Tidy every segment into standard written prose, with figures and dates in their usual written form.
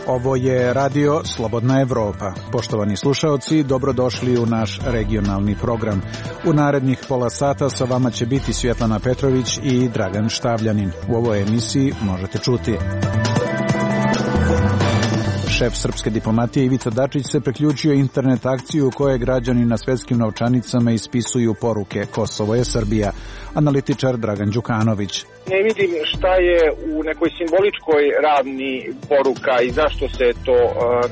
Ovo je Radio Slobodna Evropa. Poštovani slušaoci, dobrodošli u naš regionalni program. U narednih pola sata sa vama će biti Svjetlana Petrović i Dragan Štavljanin. U ovoj emisiji možete čuti: šef srpske diplomatije Ivica Dačić se priključio internet akciju u kojoj građani na svetskim novčanicama ispisuju poruke "Kosovo je Srbija". Analitičar Dragan Đukanović: ne vidim šta je u nekoj simboličkoj ravni poruka i zašto se to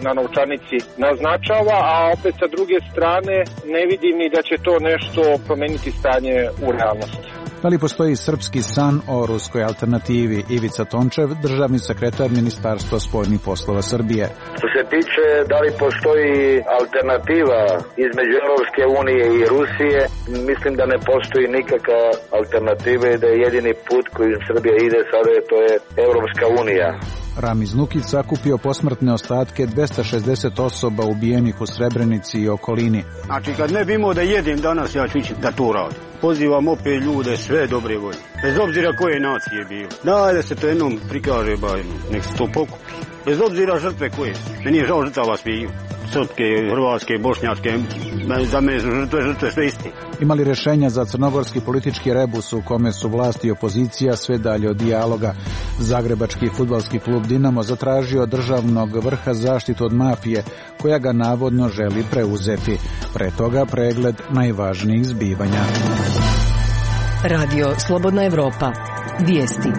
na novčanici naznačava, a opet sa druge strane ne vidim ni da će to nešto promeniti stanje u realnosti. Da li postoji srpski san o ruskoj alternativi? Ivica Tončev, državni sekretar Ministarstva spoljnih poslova Srbije. Što se tiče da li postoji alternativa između Europske unije i Rusije, mislim da ne postoji nikakva alternativa i da je jedini put kojim Srbija ide sada to je Europska unija. Ramiz Nukić sakupio posmrtne ostatke 260 osoba ubijenih u Srebrenici i okolini. Znači, kad ne bi imao da jedem danas, ja ću ići da to radim. Pozivam opet ljude sve dobre volje, bez obzira koje nacije bilo. Daj da se to jednom prikaže, nek se to pokupi. Bez obzira žrtve koje. Meni je žao žrtava sviju. Srpske, hrvatske, bošnjačke, za mene su žrtve sve isti. Imali rješenja za crnogorski politički rebus u kome su vlast i opozicija sve dalje od dijaloga. Zagrebački fudbalski klub Dinamo zatražio od državnog vrha zaštitu od mafije, koja ga navodno želi preuzeti. Pre toga pregled najvažnijih zbivanja. Radio Slobodna Evropa. Vijesti.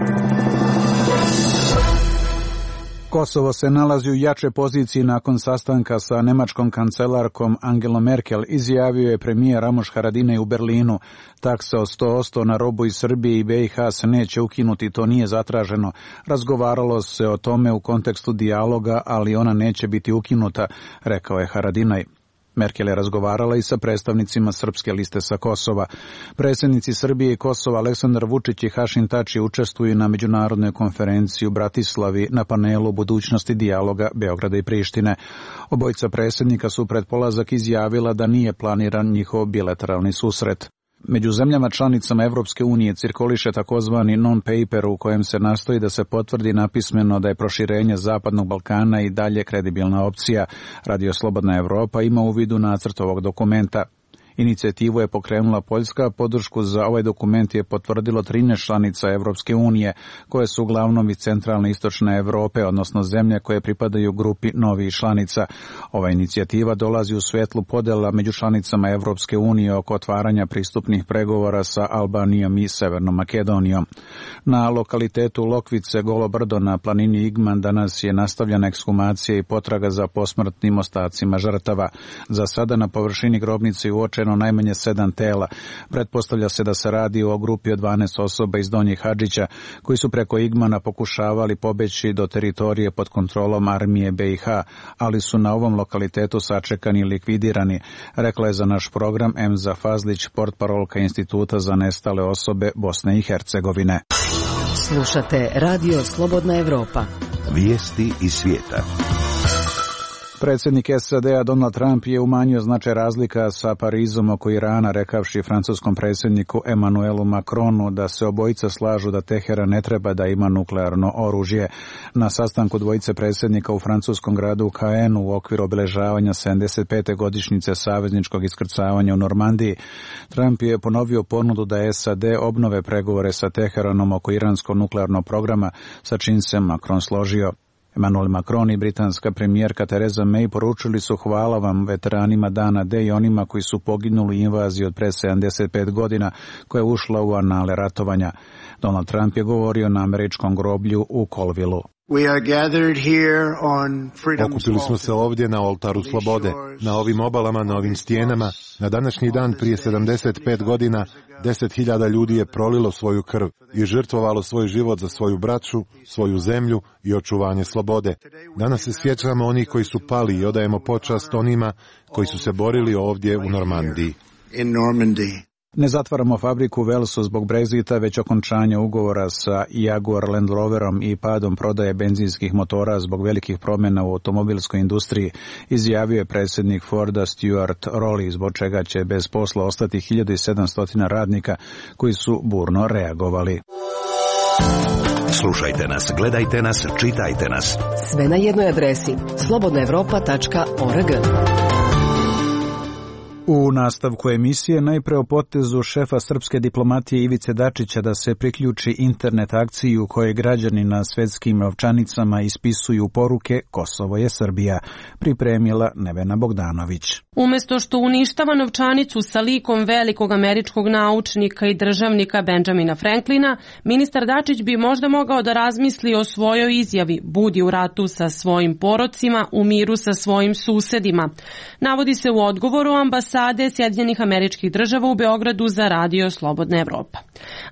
Kosovo se nalazi u jačoj poziciji nakon sastanka sa nemačkom kancelarkom Angelom Merkel, izjavio je premijer Ramoš Haradinaj u Berlinu. Taksa od 100% na robu iz Srbije i BiH se neće ukinuti, to nije zatraženo. Razgovaralo se o tome u kontekstu dijaloga, ali ona neće biti ukinuta, rekao je Haradinaj. Merkel je razgovarala i sa predstavnicima Srpske liste sa Kosova. Predsjednici Srbije i Kosova Aleksandar Vučić i Hašim Tači učestvuju na međunarodnoj konferenciji u Bratislavi na panelu budućnosti dijaloga Beograda i Prištine. Obojica predsjednika su pred polazak izjavila da nije planiran njihov bilateralni susret. Među zemljama članicama Evropske unije cirkuliše takozvani non-paper u kojem se nastoji da se potvrdi napismeno da je proširenje Zapadnog Balkana i dalje kredibilna opcija. Radio Slobodna Evropa ima u vidu nacrt ovog dokumenta. Inicijativu je pokrenula Poljska, podršku za ovaj dokument je potvrdilo 13 članica Evropske unije, koje su uglavnom iz centralne i istočne Evrope, odnosno zemlje koje pripadaju grupi novih članica. Ova inicijativa dolazi u svjetlu podela među članicama Evropske unije oko otvaranja pristupnih pregovora sa Albanijom i Severnom Makedonijom. Na lokalitetu Lokvice, Golo brdo na planini Igman, danas je nastavljena ekshumacija i potraga za posmrtnim ostacima žrtava. Za sada na površini grobnice uočeno najmanje 7 tela. Pretpostavlja se da se radi o grupi od 12 osoba iz Donjih Hadžića, koji su preko Igmana pokušavali pobeći do teritorije pod kontrolom armije BiH, ali su na ovom lokalitetu sačekani i likvidirani, rekla je za naš program Emza Fazlić, portparolka Instituta za nestale osobe Bosne i Hercegovine. Slušate Radio Slobodna Evropa. Vijesti iz svijeta. Predsjednik SAD-a Donald Trump je umanjio značaj razlika sa Parizom oko Irana, rekavši francuskom predsjedniku Emmanuelu Macronu da se obojica slažu da Teheran ne treba da ima nuklearno oružje. Na sastanku dvojice predsjednika u francuskom gradu Caenu u okviru obeležavanja 75. godišnjice savezničkog iskrcavanja u Normandiji, Trump je ponovio ponudu da SAD obnove pregovore sa Teheranom oko iranskog nuklearnog programa, sa čim se Macron složio. Emmanuel Macron i britanska premijerka Theresa May poručili su hvala vam veteranima Dana D i onima koji su poginuli u invaziji od pre 75 godina koja je ušla u anale ratovanja. Donald Trump je govorio na američkom groblju u Colvilleu. Okupili smo se ovdje na oltaru slobode, na ovim obalama, na ovim stijenama. Na današnji dan prije 75 godina 10.000 ljudi je prolilo svoju krv i žrtvovalo svoj život za svoju braću, svoju zemlju i očuvanje slobode. Danas se sjećamo onih koji su pali i odajemo počast onima koji su se borili ovdje u Normandiji. Ne zatvaramo fabriku u Velsu zbog Brexita, već okončanja ugovora sa Jaguar Land Roverom i padom prodaje benzinskih motora zbog velikih promjena u automobilskoj industriji, izjavio je predsjednik Forda Stuart Rowley, zbog čega će bez posla ostati 1700 radnika koji su burno reagovali. Slušajte nas, gledajte nas, čitajte nas. Sve na jednoj adresi slobodnaevropa.org. U nastavku emisije najpre o potezu šefa srpske diplomatije Ivice Dačića da se priključi internet akciji u kojoj građani na svetskim novčanicama ispisuju poruke Kosovo je Srbija, pripremila Nevena Bogdanović. Umesto što uništava novčanicu sa likom velikog američkog naučnika i državnika Benjamina Franklina, ministar Dačić bi možda mogao da razmisli o svojoj izjavi "Budi u ratu sa svojim porocima, u miru sa svojim susedima". Navodi se u odgovoru ambasade Sjedinjenih Američkih Država u Beogradu za radio Slobodna Evropa.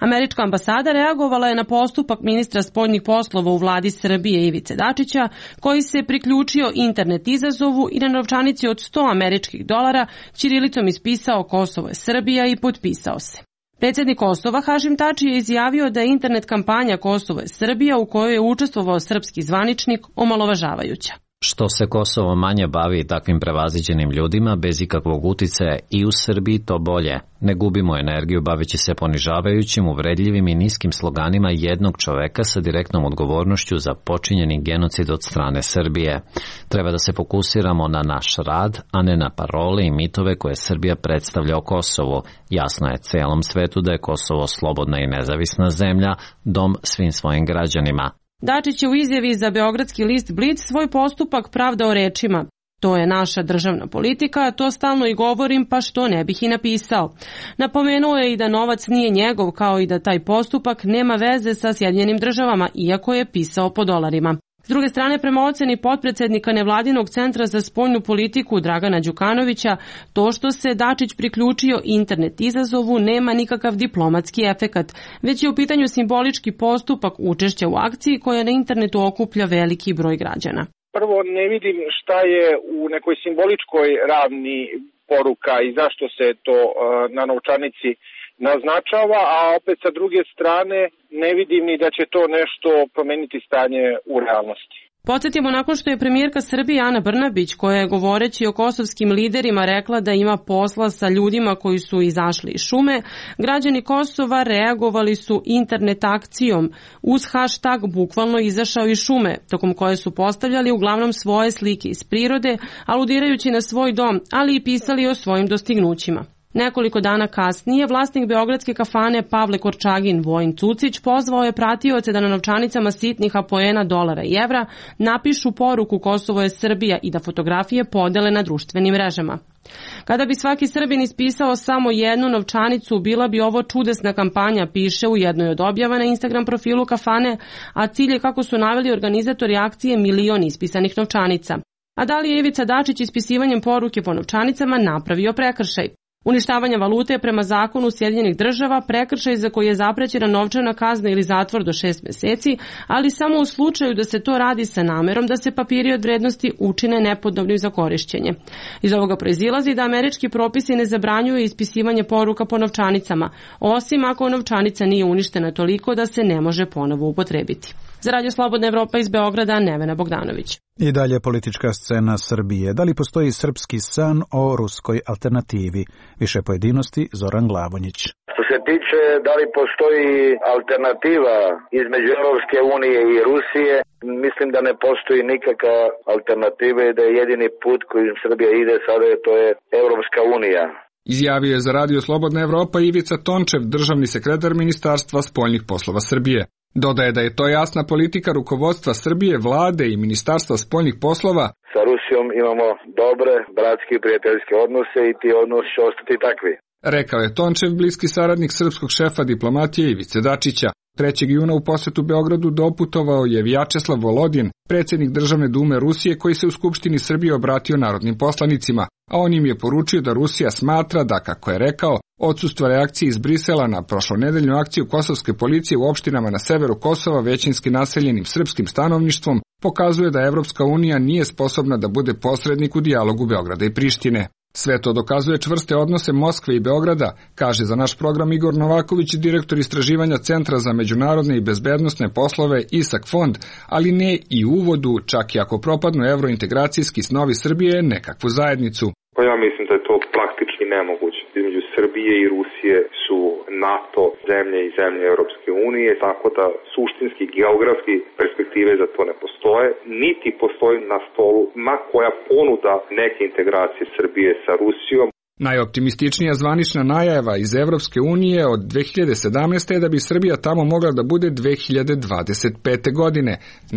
Američka ambasada reagovala je na postupak ministra spoljnih poslova u vladi Srbije Ivice Dačića, koji se priključio internet izazovu i na novčanici od $100 američkih ćirilicom ispisao Kosovo je Srbija i potpisao se. Predsjednik Kosova Hašim Tači je izjavio da je internet kampanja Kosovo je Srbija u kojoj je učestvovao srpski zvaničnik omalovažavajuća. Što se Kosovo manje bavi takvim prevaziđenim ljudima bez ikakvog uticaja i u Srbiji, to bolje. Ne gubimo energiju baveći se ponižavajućim, uvredljivim i niskim sloganima jednog čoveka sa direktnom odgovornošću za počinjeni genocid od strane Srbije. Treba da se fokusiramo na naš rad, a ne na parole i mitove koje Srbija predstavlja o Kosovu. Jasno je celom svetu da je Kosovo slobodna i nezavisna zemlja, dom svim svojim građanima. Dačić je u izjavi za beogradski list Blic svoj postupak pravdao rečima: "To je naša državna politika, to stalno i govorim, pa što ne bih i napisao". Napomenuo je i da novac nije njegov, kao i da taj postupak nema veze sa Sjedinjenim Državama, iako je pisao po dolarima. S druge strane, prema oceni potpredsednika Nevladinog centra za spoljnu politiku Dragana Đukanovića, to što se Dačić priključio internet izazovu nema nikakav diplomatski efekat, već je u pitanju simbolički postupak učešća u akciji koja na internetu okuplja veliki broj građana. Prvo, ne vidim šta je u nekoj simboličkoj ravni poruka i zašto se to na novčanici naznačava, a opet sa druge strane ne vidim ni da će to nešto promeniti stanje u realnosti. Podsjetimo, nakon što je premijerka Srbije Ana Brnabić, koja je govoreći o kosovskim liderima rekla da ima posla sa ljudima koji su izašli iz šume, građani Kosova reagovali su internet akcijom uz hashtag bukvalno izašao iz šume, tokom koje su postavljali uglavnom svoje slike iz prirode, aludirajući na svoj dom, ali i pisali o svojim dostignućima. Nekoliko dana kasnije, vlasnik beogradske kafane Pavle Korčagin, Vojin Cucić, pozvao je pratioce da na novčanicama sitnih apoena dolara i evra napišu poruku Kosovo je Srbija i da fotografije podele na društvenim mrežama. Kada bi svaki Srbin ispisao samo jednu novčanicu, bila bi ovo čudesna kampanja, piše u jednoj od objava na Instagram profilu kafane, a cilj je, kako su naveli organizatori akcije, 1 milion ispisanih novčanica. A da li je Ivica Dačić ispisivanjem poruke po novčanicama napravio prekršaj? Uništavanje valute je prema zakonu Sjedinjenih Država prekršaj za koji je zaprećena novčana kazna ili zatvor do 6 meseci, ali samo u slučaju da se to radi sa namerom da se papiri od vrednosti učine nepodobnim za korišćenje. Iz ovoga proizilazi da američki propisi ne zabranjuju ispisivanje poruka po novčanicama, osim ako novčanica nije uništena toliko da se ne može ponovo upotrebiti. Za Radio Slobodna Evropa iz Beograda, Nevena Bogdanović. I dalje politička scena Srbije. Da li postoji srpski san o ruskoj alternativi? Više pojedinosti, Zoran Glavonjić. Što se tiče da li postoji alternativa između Europske unije i Rusije, mislim da ne postoji nikakva alternativa i da je jedini put kojim Srbija ide sada, to je Europska unija. Izjavio je za Radio Slobodna Evropa Ivica Tončev, državni sekretar Ministarstva spoljnih poslova Srbije. Dodaje da je to jasna politika rukovodstva Srbije, vlade i Ministarstva spoljnih poslova. Sa Rusijom imamo dobre, bratske i prijateljske odnose i ti odnosi će ostati takvi. Rekao je Tončev, bliski saradnik srpskog šefa diplomatije Ivice Dačića. 3. juna u posetu Beogradu doputovao je Vjačeslav Volodin, predsjednik Državne dume Rusije, koji se u Skupštini Srbije obratio narodnim poslanicima, a on im je poručio da Rusija smatra da, kako je rekao, odsustvo reakcije iz Brisela na prošlonedeljnu akciju kosovske policije u opštinama na severu Kosova većinski naseljenim srpskim stanovništvom pokazuje da Evropska unija nije sposobna da bude posrednik u dijalogu Beograda i Prištine. Sve to dokazuje čvrste odnose Moskve i Beograda, kaže za naš program Igor Novaković, direktor istraživanja Centra za međunarodne i bezbednosne poslove ISAK fond, ali ne i u uvodu, čak i ako propadnu evrointegracijski snovi Srbije nekakvu zajednicu. Pa ja mislim da je to praktički nemoguće. Između Srbije i Rusije su NATO zemlje i zemlje Europske unije, tako da suštinski, geografski perspektive za to ne postoje, niti postoji na stolu ma koja ponuda neke integracije Srbije sa Rusijom. Najoptimističnija zvanična najava iz Evropske unije od 2017. je da bi Srbija tamo mogla da bude 2025. godine.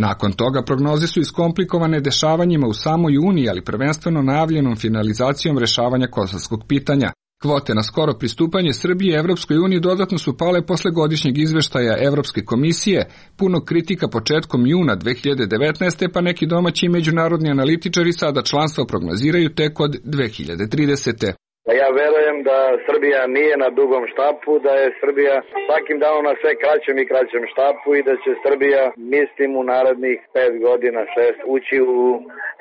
Nakon toga prognoze su iskomplikovane dešavanjima u samoj Uniji, ali prvenstveno najavljenom finalizacijom rešavanja kosovskog pitanja. Kvote na skoro pristupanje Srbije Evropskoj uniji dodatno su pale posle godišnjeg izveštaja Evropske komisije, puno kritika početkom juna 2019. pa neki domaći i međunarodni analitičari sada članstvo prognoziraju tek od 2030. Ja verujem da Srbija nije na dugom štapu, da je Srbija svakim danom na sve kraćem i kraćem štapu i da će Srbija, mislim, u narednih 5 godina, 6, ući u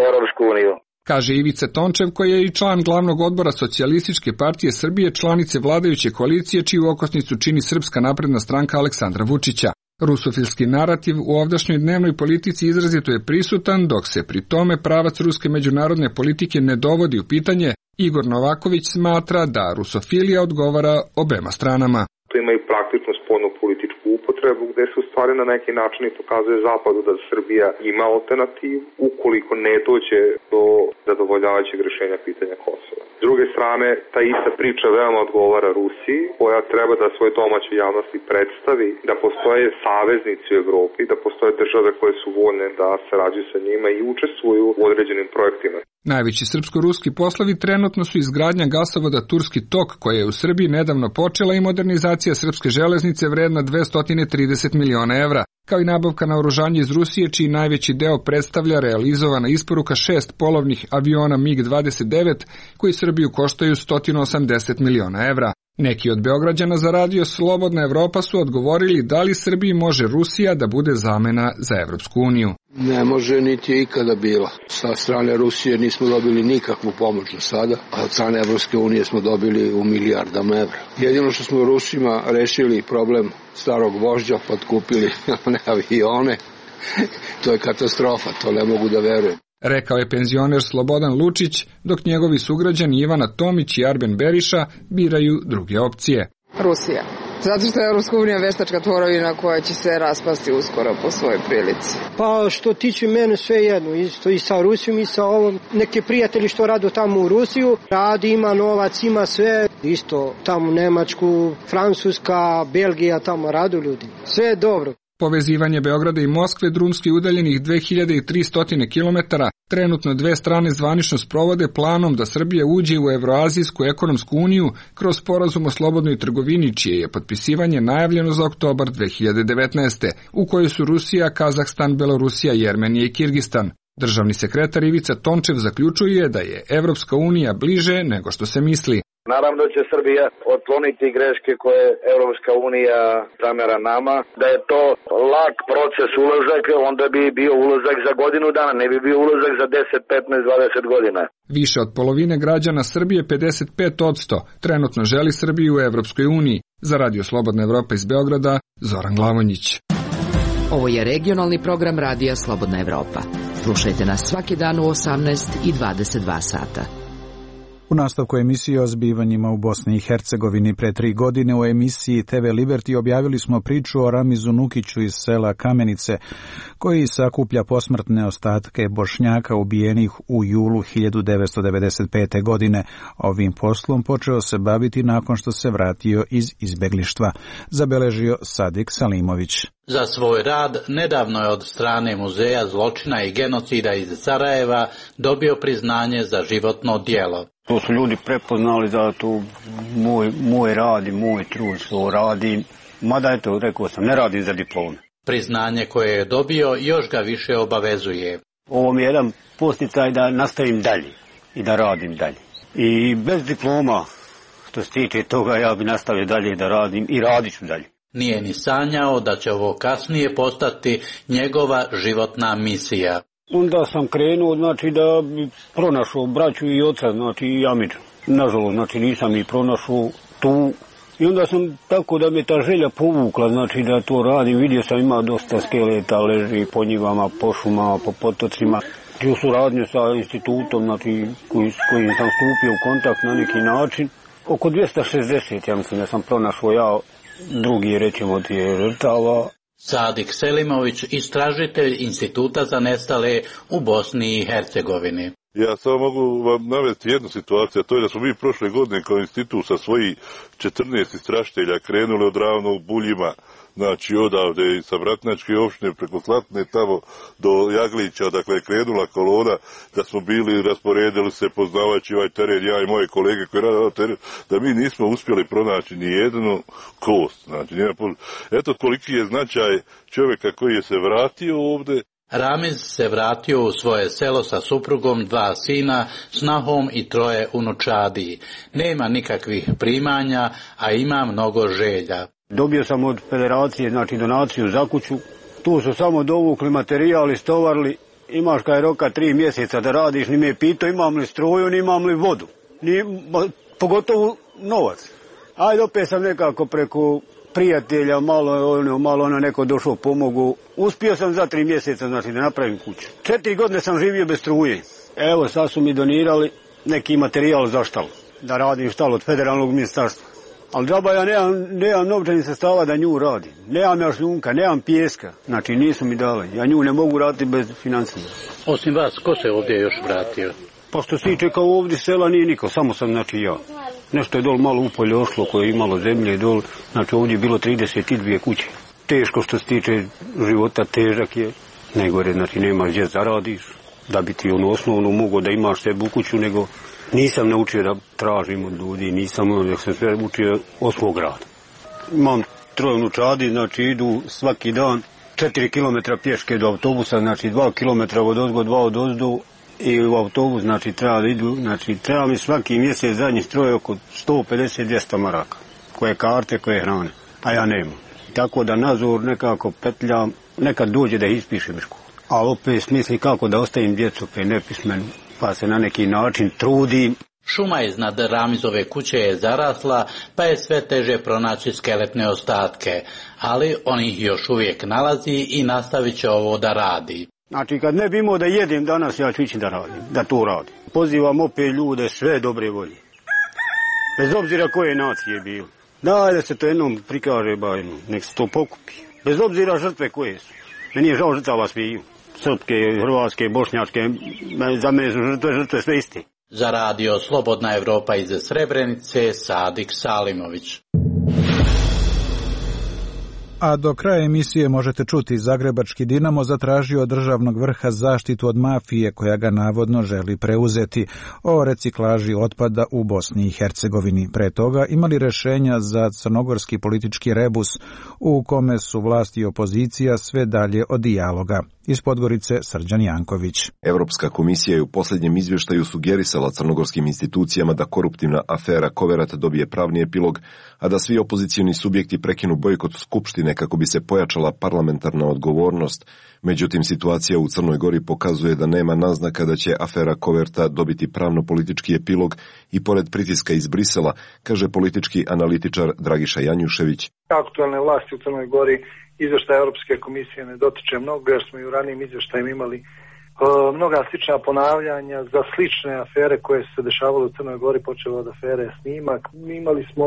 Evropsku uniju. Kaže Ivica Tončev, koji je i član glavnog odbora Socijalističke partije Srbije, članice vladajuće koalicije, čiju okosnicu čini Srpska napredna stranka Aleksandra Vučića. Rusofilski narativ u ovdašnjoj dnevnoj politici izrazito je prisutan, dok se pri tome pravac ruske međunarodne politike ne dovodi u pitanje. Igor Novaković smatra da rusofilija odgovara obema stranama. To ima i praktičnu spoljnu političku upotrebu gde se u stvari na neki način i pokazuje Zapadu da Srbija ima alternativu ukoliko ne dođe do zadovoljavajućeg rešenja pitanja Kosova. S druge strane, ta ista priča veoma odgovara Rusiji, koja treba da svoje domaće javnosti predstavi da postoje saveznici u Evropi, da postoje države koje su voljne da sarađuju sa njima i učestvuju u određenim projektima. Najveći srpsko-ruski poslovi trenutno su izgradnja gasovoda Turski tok, koja je u Srbiji nedavno počela, i modernizacija srpske železnice vredna 230 miliona evra, kao i nabavka naoružanja iz Rusije, čiji najveći deo predstavlja realizovana isporuka 6 polovnih aviona MiG-29, koji Srbiju koštaju 180 miliona evra. Neki od Beograđana za radio Slobodna Evropa su odgovorili da li Srbiji može Rusija da bude zamena za Evropsku uniju. Ne može, niti je ikada bila. Sa strane Rusije nismo dobili nikakvu pomoć do sada, a od strane Evropske unije smo dobili u milijardama evra. Jedino što smo Rusima rešili problem starog vožđa, podkupili one avione, to je katastrofa, to ne mogu da verujem. Rekao je penzioner Slobodan Lučić, dok njegovi sugrađani Ivana Tomić i Arben Beriša biraju druge opcije. Rusija. Zato što je Evropska unija veštačka tvorevina koja će se raspasti uskoro po svojoj prilici. Pa što tiče mene sve jedno, isto i sa Rusijom i sa ovom. Neki prijatelji što rade tamo u Rusiju, radi, ima novac, ima sve. Isto tamo Nemačku, Francuska, Belgija, tamo radu ljudi. Sve je dobro. Povezivanje Beograda i Moskve, drumski udaljenih 2300 km, trenutno dve strane zvanično sprovode planom da Srbija uđe u Evroazijsku ekonomsku uniju kroz sporazum o slobodnoj trgovini, čije je potpisivanje najavljeno za oktobar 2019. u kojoj su Rusija, Kazahstan, Belorusija, Jermenija i Kirgistan. Državni sekretar Ivica Tončev zaključuje da je Evropska unija bliže nego što se misli. Naravno da će Srbija otkloniti greške koje Evropska unija zamera nama. Da je to lak proces ulazak, onda bi bio ulazak za godinu dana, ne bi bio ulazak za 10, 15, 20 godina. Više od polovine građana Srbije, 55%, trenutno želi Srbiju u Evropskoj uniji. Za Radio Slobodna Evropa iz Beograda, Zoran Glavonjić. Ovo je regionalni program Radija Slobodna Evropa. Slušajte nas svaki dan u 18 i 22 sata. U nastavku emisije o zbivanjima u Bosni i Hercegovini pre 3 godine u emisiji TV Liberty objavili smo priču o Ramizu Nukiću iz sela Kamenice, koji sakuplja posmrtne ostatke Bošnjaka ubijenih u julu 1995. godine. Ovim poslom počeo se baviti nakon što se vratio iz izbeglištva, zabeležio Sadik Salimović. Za svoj rad nedavno je od strane Muzeja zločina i genocida iz Sarajeva dobio priznanje za životno djelo. To su ljudi prepoznali da to moj rad i moj trud što radim, mada eto, rekao sam, ne radim za diplome. Priznanje koje je dobio još ga više obavezuje. Ovo mi je jedan posticaj da nastavim dalje i da radim dalje. I bez diploma, što se tiče toga, ja bi nastavio dalje da radim i radit ću dalje. Nije ni sanjao da će ovo kasnije postati njegova životna misija. Onda sam krenuo, znači, da bi pronašao braću i oca, znači, i Amidža. Nažalost, znači, nisam ih pronašao tu. I onda sam tako da me ta želja povukla, znači, da to radim. Vidio sam ima dosta skeleta, leži po njivama, po šumama, po potocima. I u suradnju sa institutom, znači, kojim sam stupio u kontakt na neki način. Oko 260, ja mislim da sam pronašao ja, drugi, rećemo, od je žrtava. Sadik Selimović, istražitelj Instituta za nestale u Bosni i Hercegovini. Ja samo mogu vam navesti jednu situaciju, a to je da smo mi prošle godine kao institut sa svojih 14 istražitelja krenuli od Ravnog Buljima, znači odavde sa Vratnačke opštine preko Slatne tamo do Jaglića, dakle je krenula kolona, da smo bili, rasporedili se poznavajući ovaj teren, ja i moje kolege koji rade ovaj teren, da mi nismo uspjeli pronaći ni jednu kost. Znači, eto koliki je značaj čovjeka koji je se vratio ovdje. Ramiz se vratio u svoje selo sa suprugom, 2 sina, snahom i 3 unučadi. Nema nikakvih primanja, a ima mnogo želja. Dobio sam od federacije, znači, donaciju za kuću. Tu su samo dovukli materijal, istovarili. Imaš kaj roka 3 mjeseca da radiš, ni me pitao imam li struju, ni imam li vodu. Pogotovo novac. Ajde, opet sam nekako preko prijatelja, malo neko došao pomogu. Uspio sam za 3 mjeseca, znači, da napravim kuću. 4 godine sam živio bez struje. Evo, sad su mi donirali neki materijal za štalu. Da radim štalu od federalnog ministarstva. Ali džaba ja nemam novčanih sredstava da nju radim. Nemam ja šljunka, nemam pijeska. Znači, nisu mi dali. Ja nju ne mogu raditi bez financija. Osim vas, ko se ovdje još vratio? Pa što si čekao ovdje sela nije niko, samo sam, znači, ja. Nešto je dol malo upolje ošlo koje je imalo zemlje dol, znači ovdje je bilo 32 kuće. Teško što se tiče života, težak je. Najgore, znači nemaš gdje zaradiš, da bi ti osnovno mogao da imaš sebi u kuću, nego nisam naučio da tražim od ljudi, nek sam sve učio od svog rada. Imam 3 unučadi, znači idu svaki dan 4 km pješke do autobusa, znači 2 km od ozgo, 2 od ozdu. I u autobus, znači, treba da idu, znači, treba mi svaki mjesec zadnji stroj oko 150-200 maraka. Koje karte, koje hrane, a ja nemam. Tako da nazor nekako petljam, nekad dođe da ispišem školu. A opet smisli kako da ostavim djecu pe nepismenu, pa se na neki način trudim. Šuma iznad Ramizove kuće je zarasla, pa je sve teže pronaći skeletne ostatke, ali on ih još uvijek nalazi i nastavit će ovo da radi. Znači, kad ne bi imao da jedem danas, ja ću ići da radim, da to radim. Pozivam opet ljude sve dobre volje. Bez obzira koje nacije je bilo. Daj da se to jednom prikaže, nek se to pokupi. Bez obzira žrtve koje su. Meni je žao žrtava sviju. Srpske, hrvatske, bošnjačke, za mene su žrtve sve iste. Za radio Slobodna Evropa iz Srebrenice, Sadik Salimović. A do kraja emisije možete čuti Zagrebački Dinamo zatražio od državnog vrha zaštitu od mafije koja ga navodno želi preuzeti o reciklaži otpada u Bosni i Hercegovini. Pre toga imali rešenja za crnogorski politički rebus u kome su vlast i opozicija sve dalje od dijaloga. Iz Podgorice Srđan Janković. Evropska komisija je u posljednjem izvještaju sugerisala crnogorskim institucijama da koruptivna afera Koverat dobije pravni epilog, a da svi opozicioni subjekti prekinu bojkot skupštine kako bi se pojačala parlamentarna odgovornost. Međutim, situacija u Crnoj Gori pokazuje da nema naznaka da će afera Koverta dobiti pravno-politički epilog i pored pritiska iz Brisela, kaže politički analitičar Dragiša Janjušević. Aktualne vlasti u Crnoj Gori izvještaj Europske komisije ne dotiče mnogo, jer smo i u ranijim izvještajima imali mnoga slična ponavljanja za slične afere koje su se dešavale u Crnoj Gori, počelo od afere Snimak. Imali smo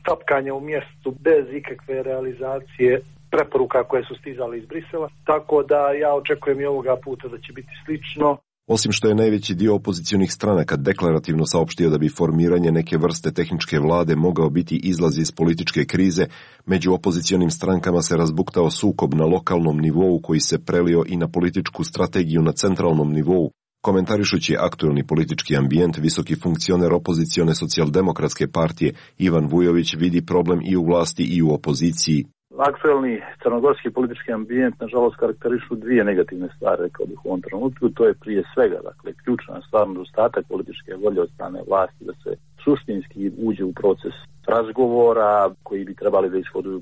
tapkanje u mjestu bez ikakve realizacije preporuka koje su stizale iz Brisela, tako da ja očekujem i ovoga puta da će biti slično. Osim što je najveći dio opozicionih stranaka deklarativno saopštio da bi formiranje neke vrste tehničke vlade mogao biti izlaz iz političke krize, među opozicionim strankama se razbuktao sukob na lokalnom nivou koji se prelio i na političku strategiju na centralnom nivou. Komentarišući aktuelni politički ambijent, visoki funkcioner opozicione socijaldemokratske partije Ivan Vujović vidi problem i u vlasti i u opoziciji. Aktuelni crnogorski politički ambijent nažalost karakterišu 2 negativne stvari, rekao bih u ovom trenutku. To je prije svega, dakle, ključna stvar, nedostatak političke volje od strane vlasti da se suštinski uđe u proces razgovora koji bi trebali da ishoduju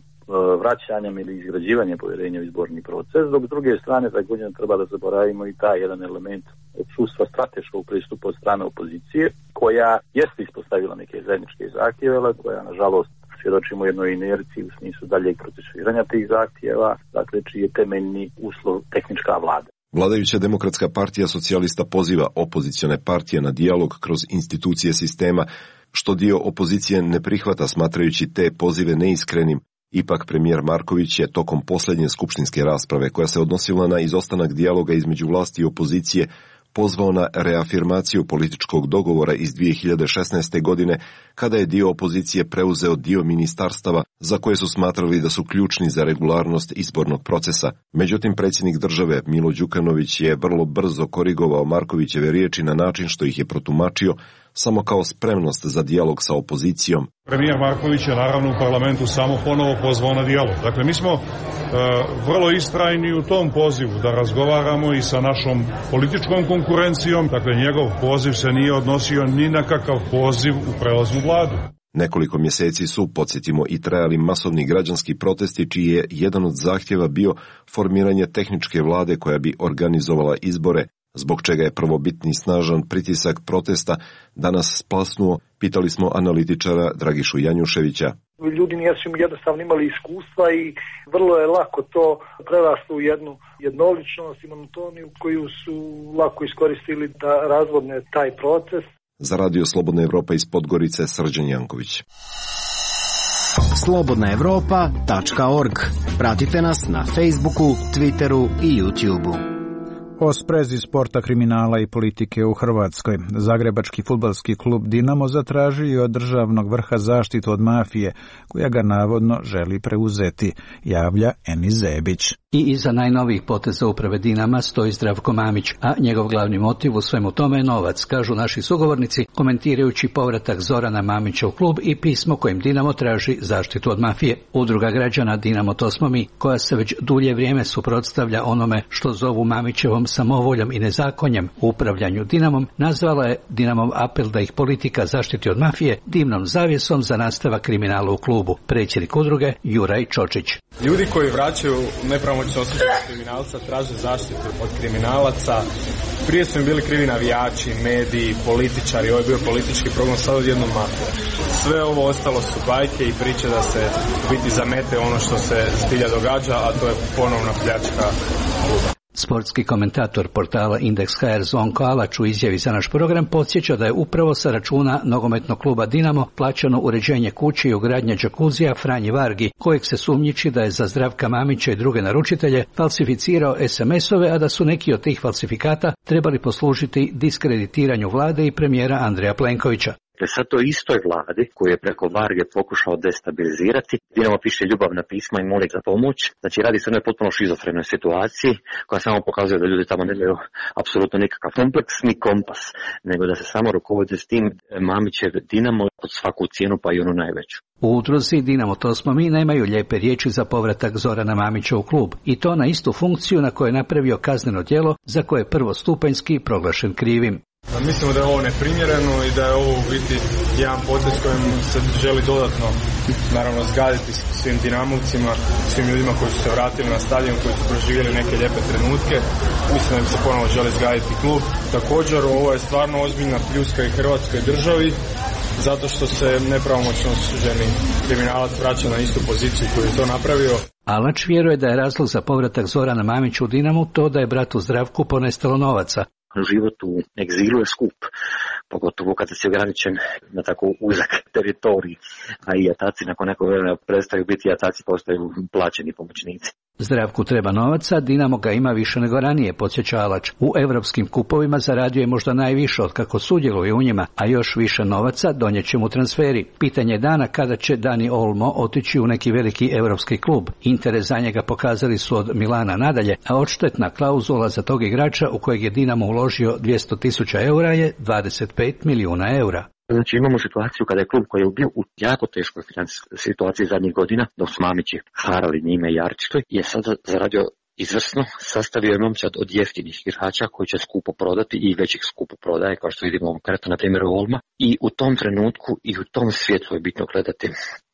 vraćanjem ili izgrađivanjem povjerenja u izborni proces, dok s druge strane također treba da zaboravimo i taj jedan element odsustva strateškog pristupa od strane opozicije, koja jeste ispostavila neke zajedničke zahtjeve, ali koja nažalost svjedočimo jednoj inerciji u smislu daljeg procesuiranja tih zahtjeva, dakle čiji je temeljni uslov tehnička vlada. Vladajuća Demokratska partija socijalista poziva opozicione partije na dijalog kroz institucije sistema, što dio opozicije ne prihvata smatrajući te pozive neiskrenim. Ipak premijer Marković je tokom posljednje skupštinske rasprave, koja se odnosila na izostanak dijaloga između vlasti i opozicije, pozvao na reafirmaciju političkog dogovora iz 2016. godine, kada je dio opozicije preuzeo dio ministarstava za koje su smatrali da su ključni za regularnost izbornog procesa. Međutim, predsjednik države Milo Đukanović je vrlo brzo korigovao Markovićeve riječi na način što ih je protumačio samo kao spremnost za dijalog sa opozicijom. Premijer Marković je naravno u parlamentu samo ponovo pozvao na dijalog. Dakle, mi smo vrlo istrajni u tom pozivu da razgovaramo i sa našom političkom konkurencijom. Dakle, njegov poziv se nije odnosio ni na kakav poziv u prelaznu vladu. Nekoliko mjeseci su, podsjetimo, i trajali masovni građanski protesti, čiji je jedan od zahtjeva bio formiranje tehničke vlade koja bi organizovala izbore, zbog čega je prvobitni snažan pritisak protesta danas splasnuo, pitali smo analitičara Dragišu Janjuševića. Ljudi nisu jednostavno imali iskustva i vrlo je lako to preraslo u jednu jednoličnost i monotoniju koju su lako iskoristili da razvodne taj proces. Za Radio Slobodna Evropa iz Podgorice, Srđan Janković. slobodnaevropa.org. Pratite nas na Facebooku, Twitteru i YouTubeu. O sprezi sporta, kriminala i politike u Hrvatskoj. Zagrebački fudbalski klub Dinamo zatražio od državnog vrha zaštitu od mafije, koja ga navodno želi preuzeti, javlja Enis Zebić. I iza najnovijih poteza uprave Dinama stoji Zdravko Mamić, a njegov glavni motiv u svemu tome je novac, kažu naši sugovornici, komentirajući povratak Zorana Mamića u klub i pismo kojim Dinamo traži zaštitu od mafije. Udruga građana Dinamo to smo mi, koja se već dulje vrijeme suprotstavlja onome što zovu Mamićevom samovoljom i nezakonjem u upravljanju Dinamom, nazvala je Dinamov apel da ih politika zaštiti od mafije dimnom zavjesom za nastavak kriminala u klubu. Predsjednik udruge Juraj Čočić. Ljudi koji vraćaju nepravomoćno osuđenog kriminalca traže zaštitu od kriminalaca. Prije su im bili krivi navijači, mediji, političari, ovo je bio politički progon, sad odjednom mafija. Sve ovo ostalo su bajke i priče da se biti zamete ono što se zbilja događa, a to je ponovna pljačka kluba. Sportski komentator portala Indeks.hr Zvonko Alač u izjavi za naš program podsjeća da je upravo sa računa nogometnog kluba Dinamo plaćano uređenje kuće i ugradnja džakuzija Franji Vargi, kojeg se sumnjiči da je za Zdravka Mamića i druge naručitelje falsificirao SMS-ove, a da su neki od tih falsifikata trebali poslužiti diskreditiranju vlade i premijera Andreja Plenkovića. Sad to istoj vladi koju je preko Varge pokušao destabilizirati, Dinamo piše ljubavna pisma i moli za pomoć. Znači radi se o jednoj potpuno šizofrenoj situaciji koja samo pokazuje da ljudi tamo nemaju apsolutno nikakav kompleks ni kompas, nego da se samo rukovode s tim Mamićev Dinamo pod svaku cijenu, pa i onu najveću. U udruzi Dinamo to smo mi nemaju lijepe riječi za povratak Zorana Mamića u klub, i to na istu funkciju na kojoj je napravio kazneno djelo za koje je prvostupanjski proglašen krivim. Mislimo da je ovo neprimjereno i da je ovo u biti jedan potez kojim se želi dodatno naravno zgaditi svim Dinamovcima, svim ljudima koji su se vratili na stadion, koji su proživjeli neke lijepe trenutke. Mislim da im se ponovo želi zgaditi klub. Također ovo je stvarno ozbiljna pljuska i Hrvatskoj državi, zato što se nepravomoćno osuđeni kriminalac vraća na istu poziciju koju je to napravio. Alač vjeruje da je razlog za povratak Zorana Mamića u Dinamu to da je bratu Zdravku ponestalo novaca. Život u egzilu je skup, pogotovo kada si ograničen na tako uzak teritorij, a i jataci nakon nekog vremena prestaju biti jataci, postaju plaćeni pomoćnici. Zdravku treba novaca, Dinamo ga ima više nego ranije, podsjeća Alač. U europskim kupovima zaradio je možda najviše od kako sudjeluje u njima, a još više novaca donijet će mu transferi. Pitanje je dana kada će Dani Olmo otići u neki veliki europski klub. Interes za njega pokazali su od Milana nadalje, a odštetna klauzula za tog igrača u kojeg je Dinamo uložio 200.000 eura je 25 milijuna eura. Znači imamo situaciju kada je klub koji je bio u jako teškoj financijskoj situaciji zadnjih godina, dok su Mamići harali njime i Jarčićoj, je sada zaradio izvrsno, sastavio je momčad od jeftinih igrača koji će skupo prodati i već ih skupo prodaje, kao što vidimo konkretno na primjeru Olma. I u tom trenutku i u tom svijetlu je bitno gledati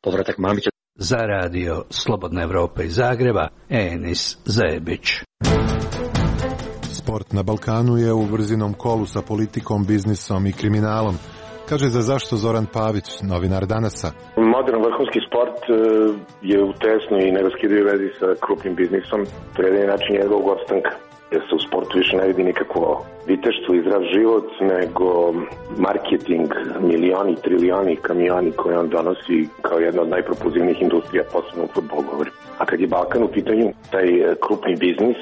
povratak Mamića. Za radio Slobodna Evropa iz Zagreba, Enis Zebić. Sport na Balkanu je u brzinom kolu sa politikom, biznisom i kriminalom. Kaže za zašto Zoran Pavić, novinar Danasa. Modern vrhunski sport je u tesnoj i neraskidivoj vezi sa krupnim biznisom. To je jedini način njegovog opstanka. Jer se u sportu više ne vidi nikakvo viteštvo i zdrav život, nego marketing, milioni, trilioni, kamioni koje on donosi kao jedna od najpropulzivnijih industrija, posebno u fudbalu govorim. A kad je Balkan u pitanju, taj krupni biznis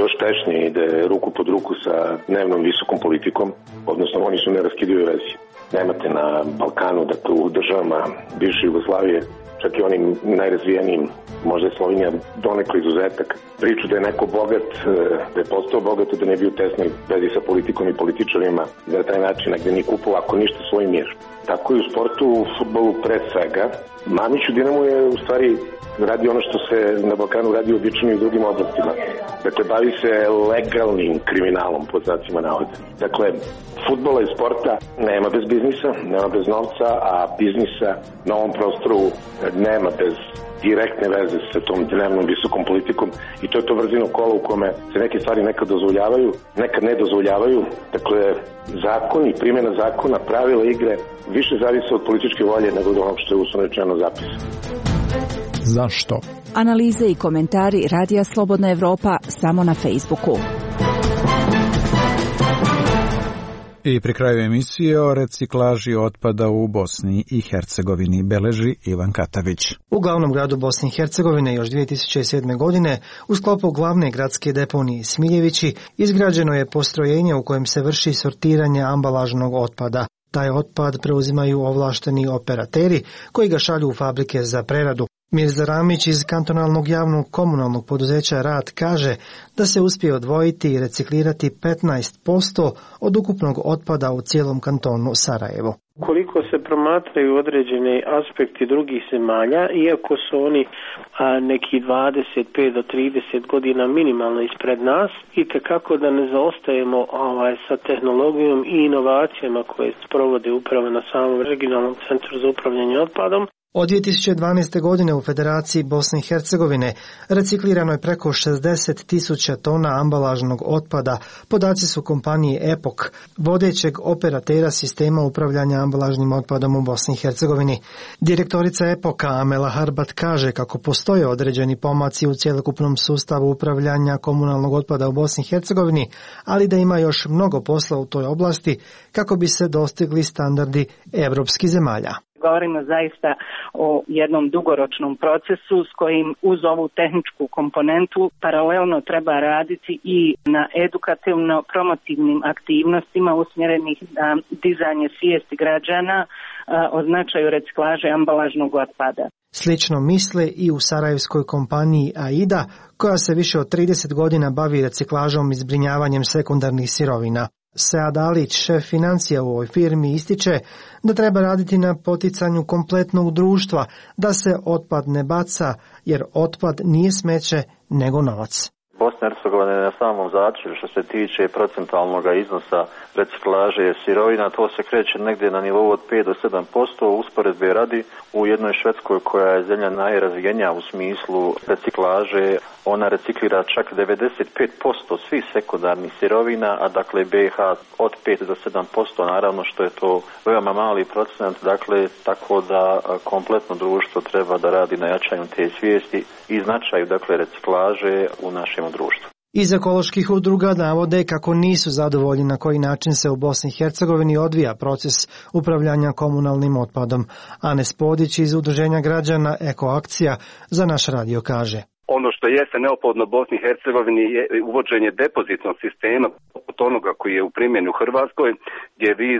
još tešnije ide ruku pod ruku sa dnevnom visokom politikom, odnosno oni su neraskidive vezi. Nemate na Balkanu, dakle u državama bivše Jugoslavije, čak i onim najrazvijenijim, možda je Slovenija donekle izuzetak, priču da je neko bogat, da je postao bogat, da ne bi u tesnoj vezi sa politikom i političarima, da je taj način gde ni kupovao ako ništa svoj mir. Tako i u sportu, u fudbalu pre svega. Mamić u Dinamu je u stvari radi ono što se na Balkanu radi obično i u drugim oblastima. Dakle, bavi se legalnim kriminalom, pod znacima navoda. Dakle, fudbala i sporta nema bez biznisa, nema bez novca, a biznisa na ovom prostoru nema bez direktne veze sa tom dnevnom visokom politikom i to je to brzino kolo u kome se neke stvari nekad dozvoljavaju, nekad ne dozvoljavaju. Dakle, zakoni, primjena zakona, pravila igre više zavise od političke volje nego od onog što je uslovno rečeno zapisano. Zašto? Analize i komentari Radija Slobodna Evropa samo na Facebooku. I pri kraju emisije o reciklaži otpada u Bosni i Hercegovini beleži Ivan Katavić. U glavnom gradu Bosne i Hercegovine još 2007. godine u sklopu glavne gradske deponije Smiljevići izgrađeno je postrojenje u kojem se vrši sortiranje ambalažnog otpada. Taj otpad preuzimaju ovlašteni operateri koji ga šalju u fabrike za preradu. Mirza Ramić iz kantonalnog javnog komunalnog poduzeća Rad kaže da se uspije odvojiti i reciklirati 15% od ukupnog otpada u cijelom kantonu Sarajevo. Koliko se promatraju određene aspekti drugih zemalja, iako su oni neki 25 do 30 godina minimalno ispred nas, i kako da ne zaostajemo sa tehnologijom i inovacijama koje se provode upravo na samom regionalnom centru za upravljanje otpadom. Od 2012. godine u Federaciji Bosne i Hercegovine reciklirano je preko 60.000 tona ambalažnog otpada, podaci su kompanije EPOK, vodećeg operatera sistema upravljanja ambalažnim otpadom u Bosni i Hercegovini. Direktorica EPOK-a Amela Harbat kaže kako postoje određeni pomaci u cjelokupnom sustavu upravljanja komunalnog otpada u Bosni i Hercegovini, ali da ima još mnogo posla u toj oblasti kako bi se dostigli standardi evropskih zemalja. Govorimo zaista o jednom dugoročnom procesu s kojim uz ovu tehničku komponentu paralelno treba raditi i na edukativno-promotivnim aktivnostima usmjerenih na dizanje svijesti građana o značaju reciklaže ambalažnog otpada. Slično misle i u sarajevskoj kompaniji AIDA, koja se više od 30 godina bavi reciklažom i zbrinjavanjem sekundarnih sirovina. Sead Alić, šef financija u ovoj firmi, ističe da treba raditi na poticanju kompletnog društva, da se otpad ne baca, jer otpad nije smeće, nego novac. Bosna i Hercegovina je na samom začelju što se tiče procentualnog iznosa reciklaže sirovina, to se kreće negdje na nivou od 5 do 7%, usporedbe radi u jednoj Švedskoj koja je zemlja najrazvijenija u smislu reciklaže, ona reciklira čak 95% svih sekundarnih sirovina, a dakle BiH od 5 do 7%, naravno što je to veoma mali procent, dakle tako da kompletno društvo treba da radi na jačanju te svijesti i značaju dakle reciklaže u našem društvu. Iz ekoloških udruga navode kako nisu zadovoljni na koji način se u Bosni i Hercegovini odvija proces upravljanja komunalnim otpadom. Anes Podić iz Udruženja građana Ekoakcija za naš radio kaže. Ono što jeste neophodno Bosni i Hercegovini je uvođenje depozitnog sistema poput onoga koji je u primjeni u Hrvatskoj, gdje vi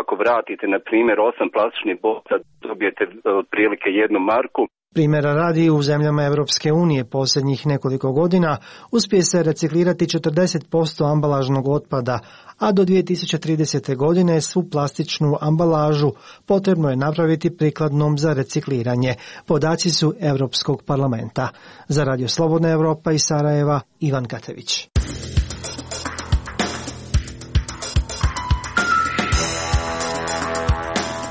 ako vratite na primjer 8 plastičnih boca dobijete otprilike 1 marku. Primjera radi u zemljama Evropske unije posljednjih nekoliko godina uspije se reciklirati 40% ambalažnog otpada, a do 2030. godine svu plastičnu ambalažu potrebno je napraviti prikladnom za recikliranje. Podaci su Europskog parlamenta. Za Radio Slobodna Evropa iz Sarajeva, Ivan Katević.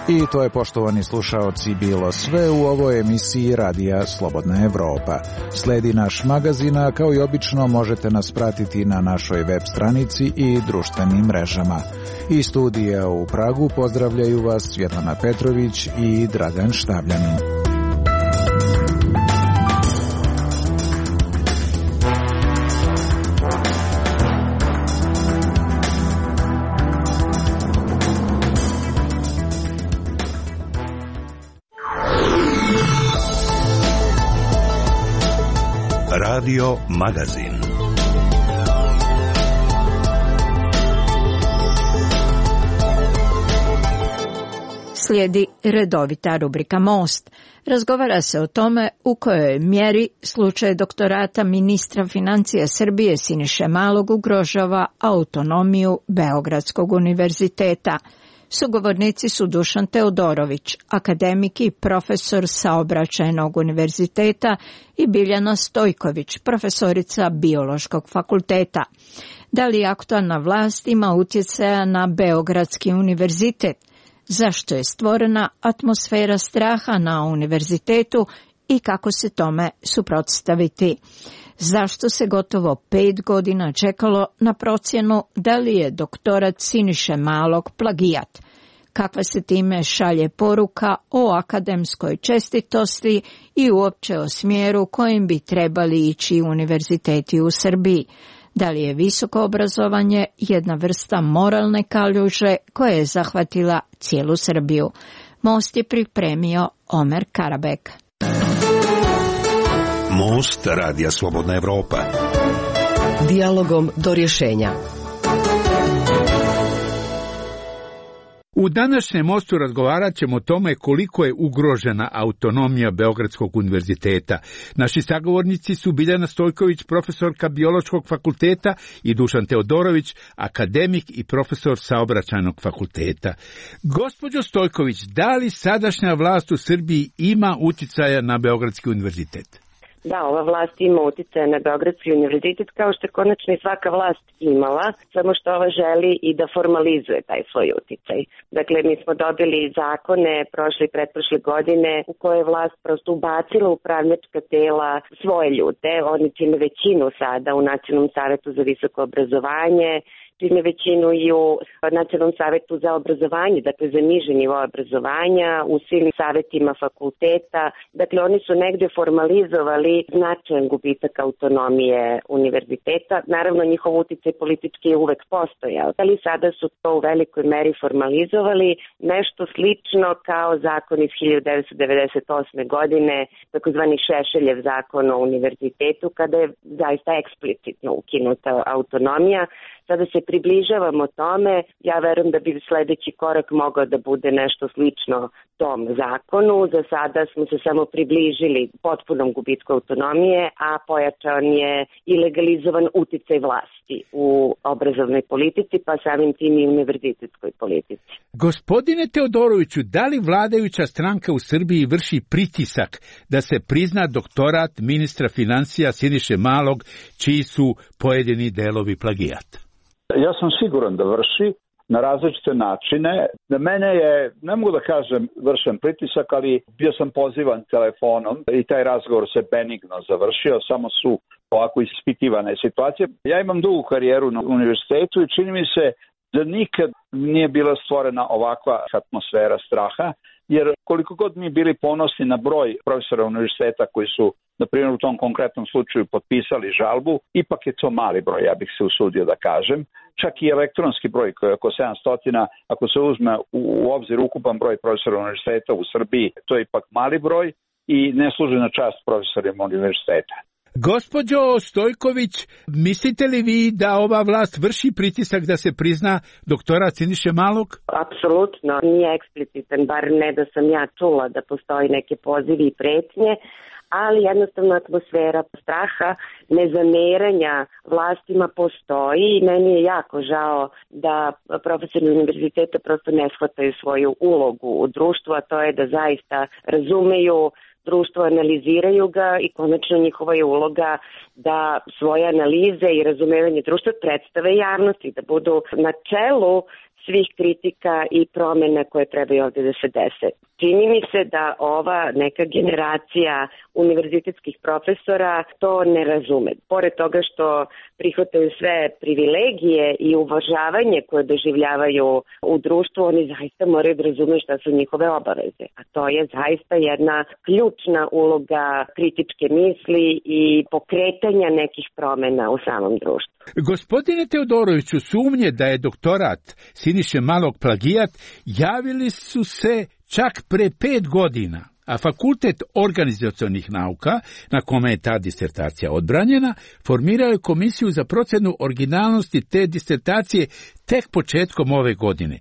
I to je, poštovani slušaoci, bilo sve u ovoj emisiji Radija Slobodna Evropa. Sledi naš magazin, a kao i obično možete nas pratiti na našoj web stranici i društvenim mrežama. Iz studija u Pragu pozdravljaju vas Svjetlana Petrović i Dragan Štavljanin. Radio Magazin. Slijedi redovita rubrika Most. Razgovara se o tome u kojoj mjeri slučaj doktorata ministra financija Srbije Siniše Malog ugrožava autonomiju Beogradskog univerziteta. Sugovornici su Dušan Teodorović, akademik i profesor Saobraćajnog univerziteta, i Biljana Stojković, profesorica Biološkog fakulteta. Da li aktualna vlast ima utjecaja na Beogradski univerzitet? Zašto je stvorena atmosfera straha na univerzitetu i kako se tome suprotstaviti? Zašto se gotovo 5 godina čekalo na procjenu da li je doktorat Siniše Malog plagijat? Kakva se time šalje poruka o akademskoj čestitosti i uopće o smjeru kojim bi trebali ići univerziteti u Srbiji? Da li je visoko obrazovanje jedna vrsta moralne kaljuže koja je zahvatila cijelu Srbiju? Most je pripremio Omer Karabek. Most Radija Slobodna Evropa. Dijalogom do rješenja. U današnjem mostu razgovarat ćemo o tome koliko je ugrožena autonomija Beogradskog univerziteta. Naši sagovornici su Biljana Stojković, profesorka Biološkog fakulteta, i Dušan Teodorović, akademik i profesor Saobraćajnog fakulteta. Gospođo Stojković, da li sadašnja vlast u Srbiji ima uticaja na Beogradski univerzitet? Da, ova vlast ima utjecaja na Beogradski univerzitet, kao što je konačno i svaka vlast imala, samo što ova želi i da formalizuje taj svoj utjecaj. Dakle, mi smo dobili zakone prošle i pretprošle godine u koje je vlast prosto ubacila upravljačka tela svoje ljude. Oni čine većinu sada u Nacionalnom savetu za visoko obrazovanje, čine većinu i u Nacionalnom savetu za obrazovanje, dakle za niže nivo obrazovanja, u svim savetima fakulteta. Dakle, oni su negde formalizovali značajan gubitak autonomije univerziteta. Naravno, njihov utjecaj politički je uvek postojao, ali sada su to u velikoj meri formalizovali, nešto slično kao zakon iz 1998. godine, takozvani Šešeljev zakon o univerzitetu, kada je zaista eksplicitno ukinuta autonomija. Sada se približavamo tome, ja verujem da bi sljedeći korak mogao da bude nešto slično tom zakonu. Za sada smo se samo približili potpunom gubitku autonomije, a pojačan je i legalizovan uticaj vlasti u obrazovnoj politici, pa samim tim i univerzitetskoj politici. Gospodine Teodoroviću, da li vladajuća stranka u Srbiji vrši pritisak da se prizna doktorat ministra financija Siniše Malog, čiji su pojedini delovi plagijat? Ja sam siguran da vrši na različite načine. Na mene je, ne mogu da kažem vršen pritisak, ali bio sam pozivan telefonom i taj razgovor se benigno završio, samo su ovako ispitivane situacije. Ja imam dugu karijeru na univerzitetu i čini mi se da nikad nije bila stvorena ovakva atmosfera straha, jer koliko god mi bili ponosni na broj profesora univerziteta koji su, na primjer, u tom konkretnom slučaju potpisali žalbu, ipak je to mali broj, ja bih se usudio da kažem. Čak i elektronski broj koji je oko 700, ako se uzme u obzir ukupan broj profesora univerziteta u Srbiji, to je ipak mali broj i ne služi na čast profesorima univerziteta. Gospođo Stojković, mislite li vi da ova vlast vrši pritisak da se prizna doktorat Siniše Malog? Apsolutno, nije eksplicitan, bar ne da sam ja čula da postoji neke pozivi i pretnje, ali jednostavno atmosfera straha, nezameranja vlastima postoji i meni je jako žao da profesori univerziteta prosto ne shvataju svoju ulogu u društvu, a to je da zaista razumeju društvo, analiziraju ga i konačno njihova je uloga da svoje analize i razumevanje društva predstave javnosti, da budu na čelu svih kritika i promjena koje trebaju ovdje da se dese. Čini mi se da ova neka generacija univerzitetskih profesora to ne razume. Pored toga što prihvataju sve privilegije i uvažavanje koje doživljavaju u društvu, oni zaista moraju da razumeju šta su njihove obaveze. A to je zaista jedna ključna uloga kritičke misli i pokretanja nekih promjena u samom društvu. Gospodine Teodoroviću, sumnje da je doktorat Siniše Malog plagijat javili su se čak pre 5 godina, a Fakultet organizacionih nauka, na kome je ta disertacija odbranjena, formirao je komisiju za procenu originalnosti te disertacije tek početkom ove godine.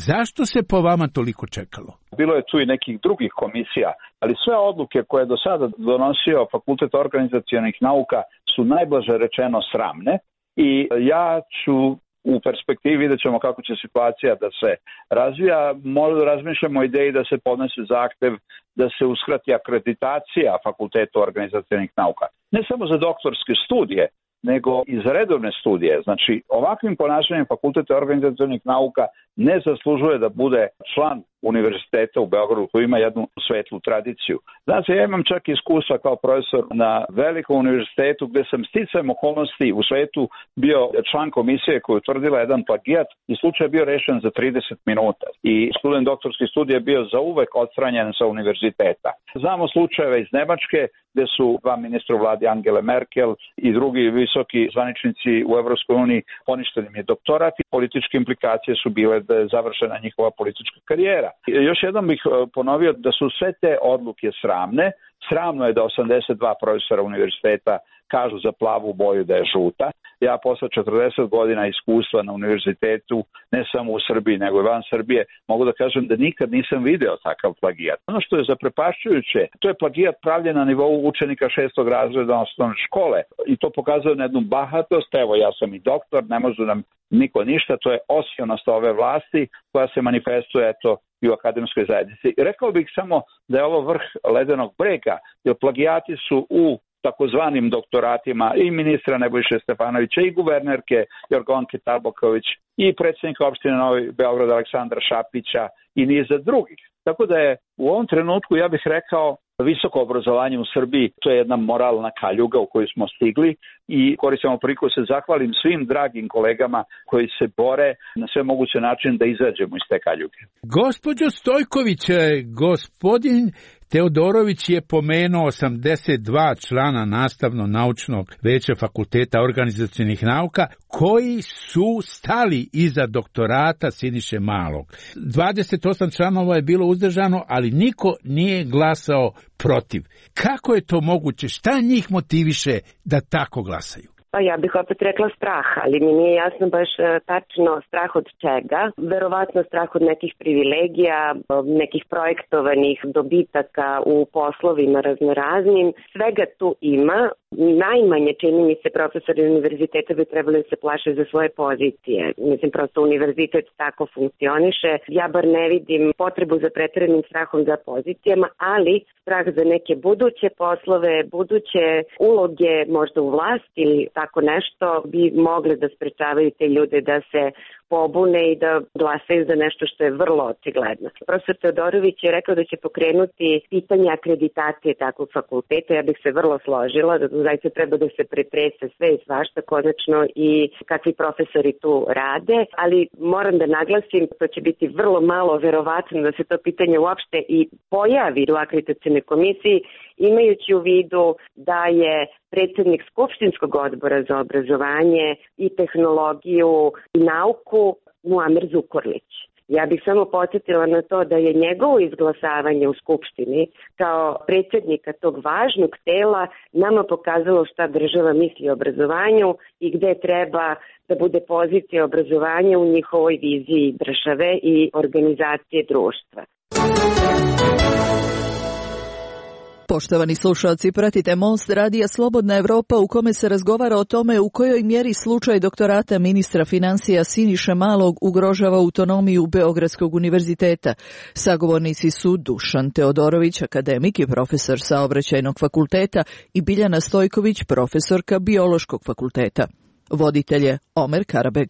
Zašto se po vama toliko čekalo? Bilo je tu i nekih drugih komisija, ali sve odluke koje je do sada donosio Fakultet organizacionih nauka su najblaže rečeno sramne i ja ću u perspektivi, vidjet ćemo kako će situacija da se razvija, možda razmišljamo o ideji da se podnese zahtev da se uskrati akreditacija Fakultetu organizacionih nauka. Ne samo za doktorske studije, nego i za redovne studije. Znači, ovakvim ponašanjem Fakulteta organizacionih nauka ne zaslužuje da bude član univerziteta u Beogradu koji ima jednu svetlu tradiciju. Znači, ja imam čak iskustva kao profesor na velikom univerzitetu gdje sam sticajem okolnosti u svetu bio član komisije koja je utvrdila jedan plagijat i slučaj je bio rešen za 30 minuta. I student doktorskih studija je bio zauvek odstranjen sa univerziteta. Znamo slučajeve iz Nemačke gdje su dva ministra u vladi Angele Merkel i drugi visoki zvaničnici u Evropskoj uniji poništeni im je doktorat i političke implikacije su bile da je završena njihova politička karijera. Još jednom bih ponovio da su sve te odluke sramne. Sramno je da 82 profesora univerziteta kažu za plavu boju da je žuta. Ja posle 40 godina iskustva na univerzitetu, ne samo u Srbiji, nego i van Srbije, mogu da kažem da nikad nisam video takav plagijat. Ono što je zaprepašćujuće, to je plagijat pravljen na nivou učenika 6. razreda osnovne škole. I to pokazuje na jednu bahatost, evo ja sam i doktor, ne može nam niko ništa, to je osionost ove vlasti koja se manifestuje i u akademskoj zajednici. Rekao bih samo da je ovo vrh ledenog brega, jer plagijati su u takozvanim doktoratima i ministra Nebojše Stefanovića i guvernerke Jorgovanke Tabaković i predsjednika opštine Novi Beograd Aleksandra Šapića i niza drugih. Tako da je u ovom trenutku, ja bih rekao, visoko obrazovanje u Srbiji, to je jedna moralna kaljuga u kojoj smo stigli i koristimo priliku se zahvalim svim dragim kolegama koji se bore na sve moguće načine da izađemo iz te kaljuge. Gospođo Stojković, gospodin Teodorović je pomenuo 82 člana nastavno-naučnog veća Fakulteta organizacionih nauka koji su stali iza doktorata Siniše Malog. 28 članova je bilo uzdržano, ali niko nije glasao protiv. Kako je to moguće? Šta njih motiviše da tako glasaju? Pa ja bih opet rekla strah, ali mi nije jasno baš tačno strah od čega. Verovatno strah od nekih privilegija, nekih projektovanih dobitaka u poslovima raznoraznim. Svega tu ima. Najmanje, čini mi se, profesori univerziteta bi trebali da se plaše za svoje pozicije. Mislim, prosto univerzitet tako funkcioniše. Ja bar ne vidim potrebu za preteranim strahom za pozicijama, ali strah za neke buduće poslove, buduće uloge, možda u vlasti ili tako nešto, bi mogli da sprečavaju te ljude da se pobune i da glasaju za nešto što je vrlo očigledno. Profesor Teodorović je rekao da će pokrenuti pitanje akreditacije takvog fakulteta. Ja bih se vrlo složila da zaista treba da se pretrese sve i svašta konačno i kakvi profesori tu rade, ali moram da naglasim, to će biti vrlo malo verovatno da se to pitanje uopšte i pojavi u akreditacionoj komisiji, imajući u vidu da je predsjednik Skupštinskog odbora za obrazovanje i tehnologiju i nauku Muamer Zukorlić. Ja bih samo podsjetila na to da je njegovo izglasavanje u Skupštini kao predsjednika tog važnog tela nama pokazalo šta država misli o obrazovanju i gde treba da bude pozicija obrazovanja u njihovoj viziji države i organizacije društva. Poštovani slušalci, pratite Most radija Slobodna Evropa u kome se razgovara o tome u kojoj mjeri slučaj doktorata ministra financija Siniše Malog ugrožava autonomiju Beogradskog univerziteta. Sagovornici su Dušan Teodorović, akademik i profesor Saobraćajnog fakulteta, i Biljana Stojković, profesorka Biološkog fakulteta. Voditelj je Omer Karabeg.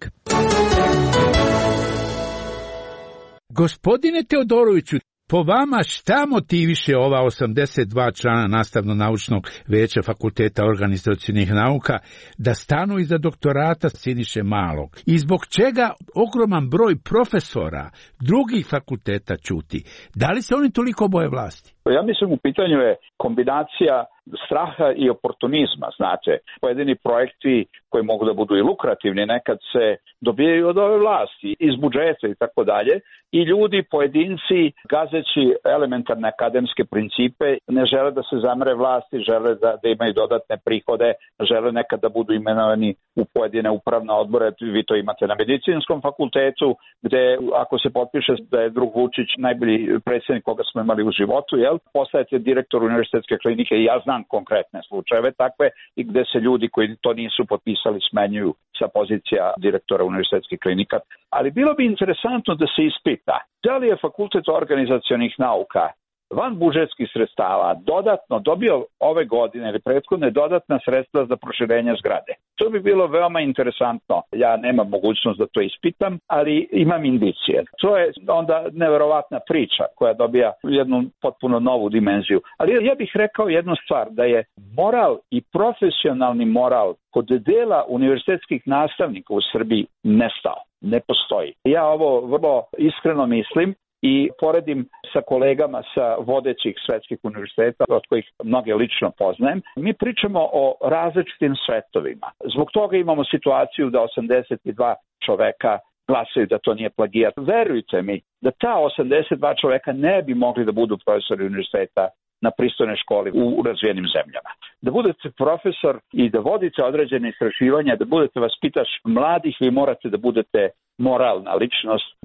Gospodine Teodoroviću, po vama šta motiviše ova 82 člana nastavno-naučnog veća Fakulteta organizacionih nauka da stanu iza doktorata Siniše Malog? I zbog čega ogroman broj profesora drugih fakulteta ćuti? Da li se oni toliko boje vlasti? Ja mislim u pitanju je kombinacija straha i oportunizma, znate. Pojedini projekti koji mogu da budu i lukrativni nekad se dobijaju od ove vlasti, iz budžeta i tako dalje, i ljudi, pojedinci, gazeći elementarne akademske principe, ne žele da se zamere vlasti, žele da imaju dodatne prihode, žele nekad da budu imenovani u pojedine upravne odbore. Vi to imate na medicinskom fakultetu, gde ako se potpiše da je drug Vučić najbolji predsjednik koga smo imali u životu, postajete direktor univerzitetske klinike, i ja znam konkretne slučajeve takve, i gde se ljudi koji to nisu potpisali smenjuju sa pozicija direktora univerzitetskih klinika. Ali bilo bi interesantno da se ispita da li je Fakultet organizacionih nauka van budžetskih sredstava dodatno dobio ove godine ili prethodne dodatna sredstva za proširenje zgrade. To bi bilo veoma interesantno. Ja nemam mogućnost da to ispitam, ali imam indicije. To je onda neverovatna priča koja dobija jednu potpuno novu dimenziju. Ali ja bih rekao jednu stvar, da je moral i profesionalni moral kod dela univerzitetskih nastavnika u Srbiji nestao. Ne postoji. Ja ovo vrlo iskreno mislim i poredim sa kolegama sa vodećih svetskih univerziteta, od kojih mnoge lično poznajem. Mi pričamo o različitim svetovima. Zbog toga imamo situaciju da 82 čoveka glasaju da to nije plagijat. Verujte mi da ta 82 čoveka ne bi mogli da budu profesori univerziteta na pristojnoj školi u razvijenim zemljama. Da budete profesor i da vodite određene istraživanja, da budete vaspitač mladih, vi morate da budete moralna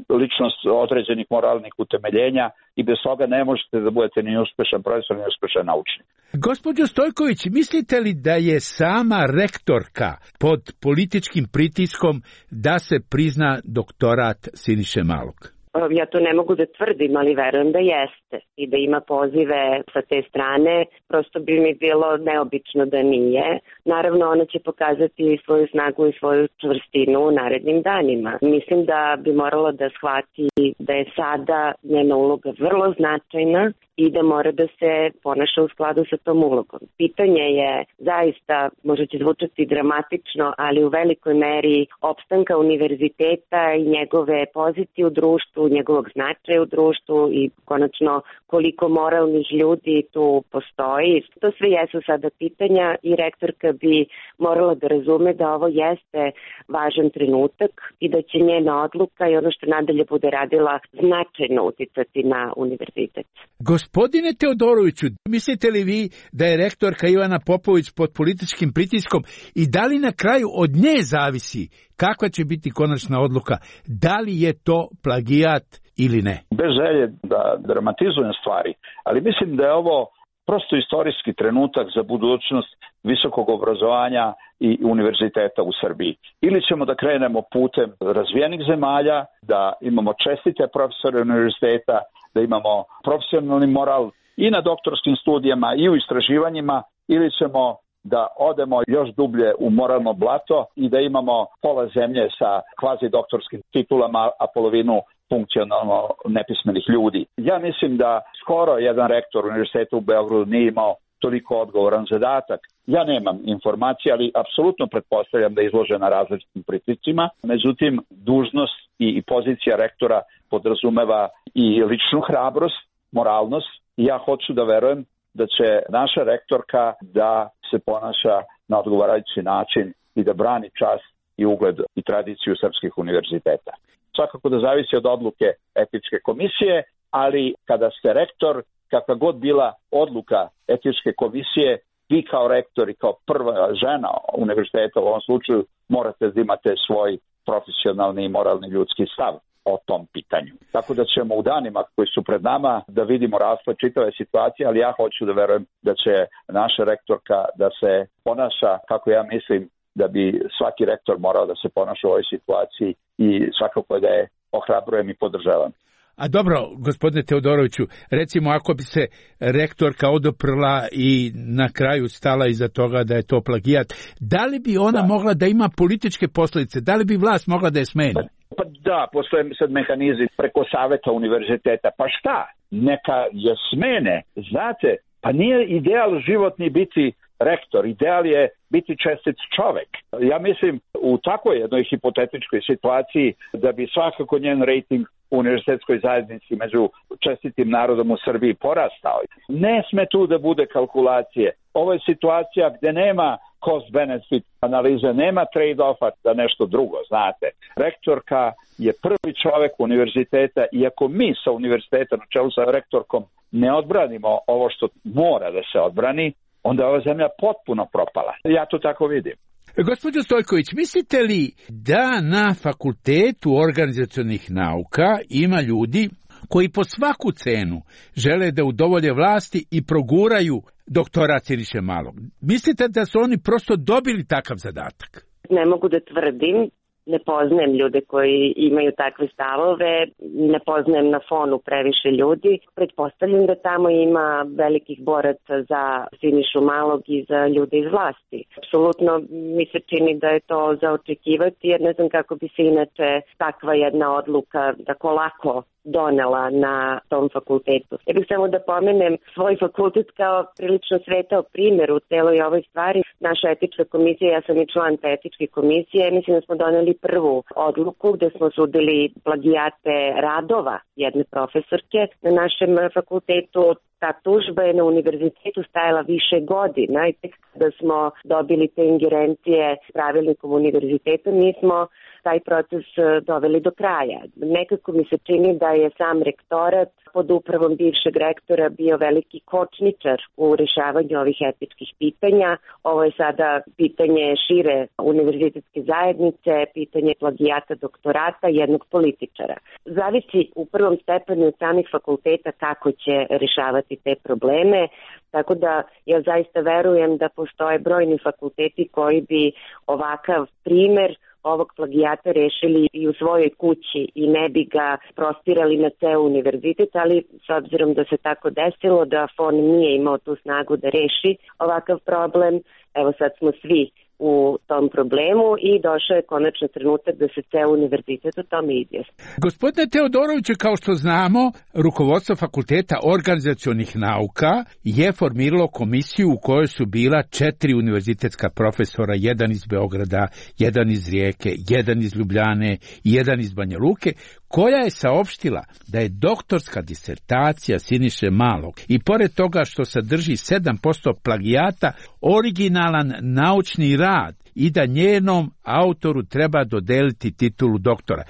ličnost određenih moralnih utemeljenja, i bez toga ne možete da budete ni uspešan profesor, ni uspešan naučnik. Gospođo Stojković, mislite li da je sama rektorka pod političkim pritiskom da se prizna doktorat Siniše Malog? Ja to ne mogu da tvrdim, ali verujem da jeste i da ima pozive sa te strane. Prosto bi mi bilo neobično da nije. Naravno, ona će pokazati svoju snagu i svoju čvrstinu u narednim danima. Mislim da bi morala da shvati da je sada njena uloga vrlo značajna i da mora da se ponaša u skladu sa tom ulogom. Pitanje je zaista, možda će zvučati dramatično, ali u velikoj meri opstanka univerziteta i njegove pozicije u društvu, njegovog značaja u društvu i konačno koliko moralnih ljudi tu postoji. To sve jesu sada pitanja i rektorka bi morala da razume da ovo jeste važan trenutak i da će njena odluka i ono što nadalje bude radila značajno uticati na univerzitet. Gospodine Teodoroviću, mislite li vi da je rektorka Ivana Popović pod političkim pritiskom i da li na kraju od nje zavisi kakva će biti konačna odluka, da li je to plagijat ili ne? Bez želje da dramatizujem stvari, ali mislim da je ovo prosto istorijski trenutak za budućnost visokog obrazovanja i univerziteta u Srbiji. Ili ćemo da krenemo putem razvijenih zemalja, da imamo čestite profesore univerziteta, da imamo profesionalni moral i na doktorskim studijama i u istraživanjima, ili ćemo da odemo još dublje u moralno blato i da imamo pola zemlje sa kvazi doktorskim titulama, a polovinu funkcionalno nepismenih ljudi. Ja mislim da skoro jedan rektor univerziteta u Beogradu nije imao toliko odgovoran zadatak. Ja nemam informacije, ali apsolutno pretpostavljam da je izložena različitim pritiscima. Međutim, dužnost i pozicija rektora podrazumeva i ličnu hrabrost, moralnost. Ja hoću da verujem da će naša rektorka da se ponaša na odgovarajući način i da brani čast i ugled i tradiciju srpskih univerziteta. Svakako da zavisi od odluke etičke komisije, ali kada ste rektor, kakva god bila odluka etičke komisije, vi kao rektor i kao prva žena univerziteta u ovom slučaju morate da imate svoj profesionalni i moralni ljudski stav o tom pitanju. Tako da ćemo u danima koji su pred nama da vidimo rasplet čitave situacije, ali ja hoću da verujem da će naša rektorka da se ponaša kako ja mislim da bi svaki rektor morao da se ponaša u ovoj situaciji i svakako da je ohrabrujem i podržavam. A dobro, gospodine Teodoroviću, recimo ako bi se rektorka odoprla i na kraju stala iza toga da je to plagijat, da li bi ona mogla da ima političke posljedice? Da li bi vlast mogla da je smeni? Pa da, postoje sad mehanizmi preko saveta univerziteta. Pa šta? Neka je smene. Znate, pa nije ideal životni biti rektor. Ideal je biti čestit čovek. Ja mislim u takvoj jednoj hipotetičkoj situaciji da bi svakako njen rejting u univerzitetskoj zajednici među čestitim narodom u Srbiji porastao. Ne sme tu da bude kalkulacije. Ovo je situacija gde nema cost-benefit analize, nema trade-offa da nešto drugo, znate. Rektorka je prvi čovek univerziteta i ako mi sa univerziteta na čelu sa rektorkom ne odbranimo ovo što mora da se odbrani, onda je ova zemlja potpuno propala. Ja to tako vidim. Gospođo Stojković, mislite li da na Fakultetu organizacionih nauka ima ljudi koji po svaku cenu žele da udovolje vlasti i proguraju doktorat Siniše Malog? Mislite da su oni prosto dobili takav zadatak? Ne mogu da tvrdim. Ne poznajem ljude koji imaju takve stavove, ne poznajem na fonu previše ljudi. Pretpostavljam da tamo ima velikih boraca za Sinišu Malog i za ljude iz vlasti. Apsolutno mi se čini da je to za očekivati, jer ne znam kako bi se inače takva jedna odluka tako lako donela na tom fakultetu. Ja bih samo da pomenem svoj fakultet kao prilično svetao primjer u celoj ovoj stvari. Naša etička komisija, ja sam i član te etičke komisije, mislim da smo doneli prvu odluku gde smo sudili plagijate radova jedne profesorke na našem fakultetu. Ta tužba je na univerzitetu stajala više godina i tek kada smo dobili te ingerencije s pravilnikom univerziteta, mi smo taj proces doveli do kraja. Nekako mi se čini da je sam rektorat pod upravom bivšeg rektora bio veliki kočničar u rešavanju ovih etičkih pitanja. Ovo je sada pitanje šire univerzitetske zajednice, pitanje plagijata doktorata jednog političara. Zavisi u prvom stepenu od samih fakulteta kako će rešavati te probleme, tako da ja zaista verujem da postoje brojni fakulteti koji bi ovakav primer ovog plagijata rešili i u svojoj kući i ne bi ga prostirali na ceo univerzitet, ali s obzirom da se tako desilo da FON nije imao tu snagu da reši ovakav problem, evo sad smo svi u tom problemu i došao je konačno trenutak da se ceo univerzitet o tome izjasni. Gospodine Teodoroviću, kao što znamo, rukovodstvo Fakulteta organizacionih nauka je formiralo komisiju u kojoj su bila 4 univerzitetska profesora, jedan iz Beograda, jedan iz Rijeke, jedan iz Ljubljane i jedan iz Banja Luke, koja je saopštila da je doktorska disertacija Siniše Malog i pored toga što sadrži 7% plagijata originalan naučni rad i da njenom autoru treba dodeliti titulu doktora.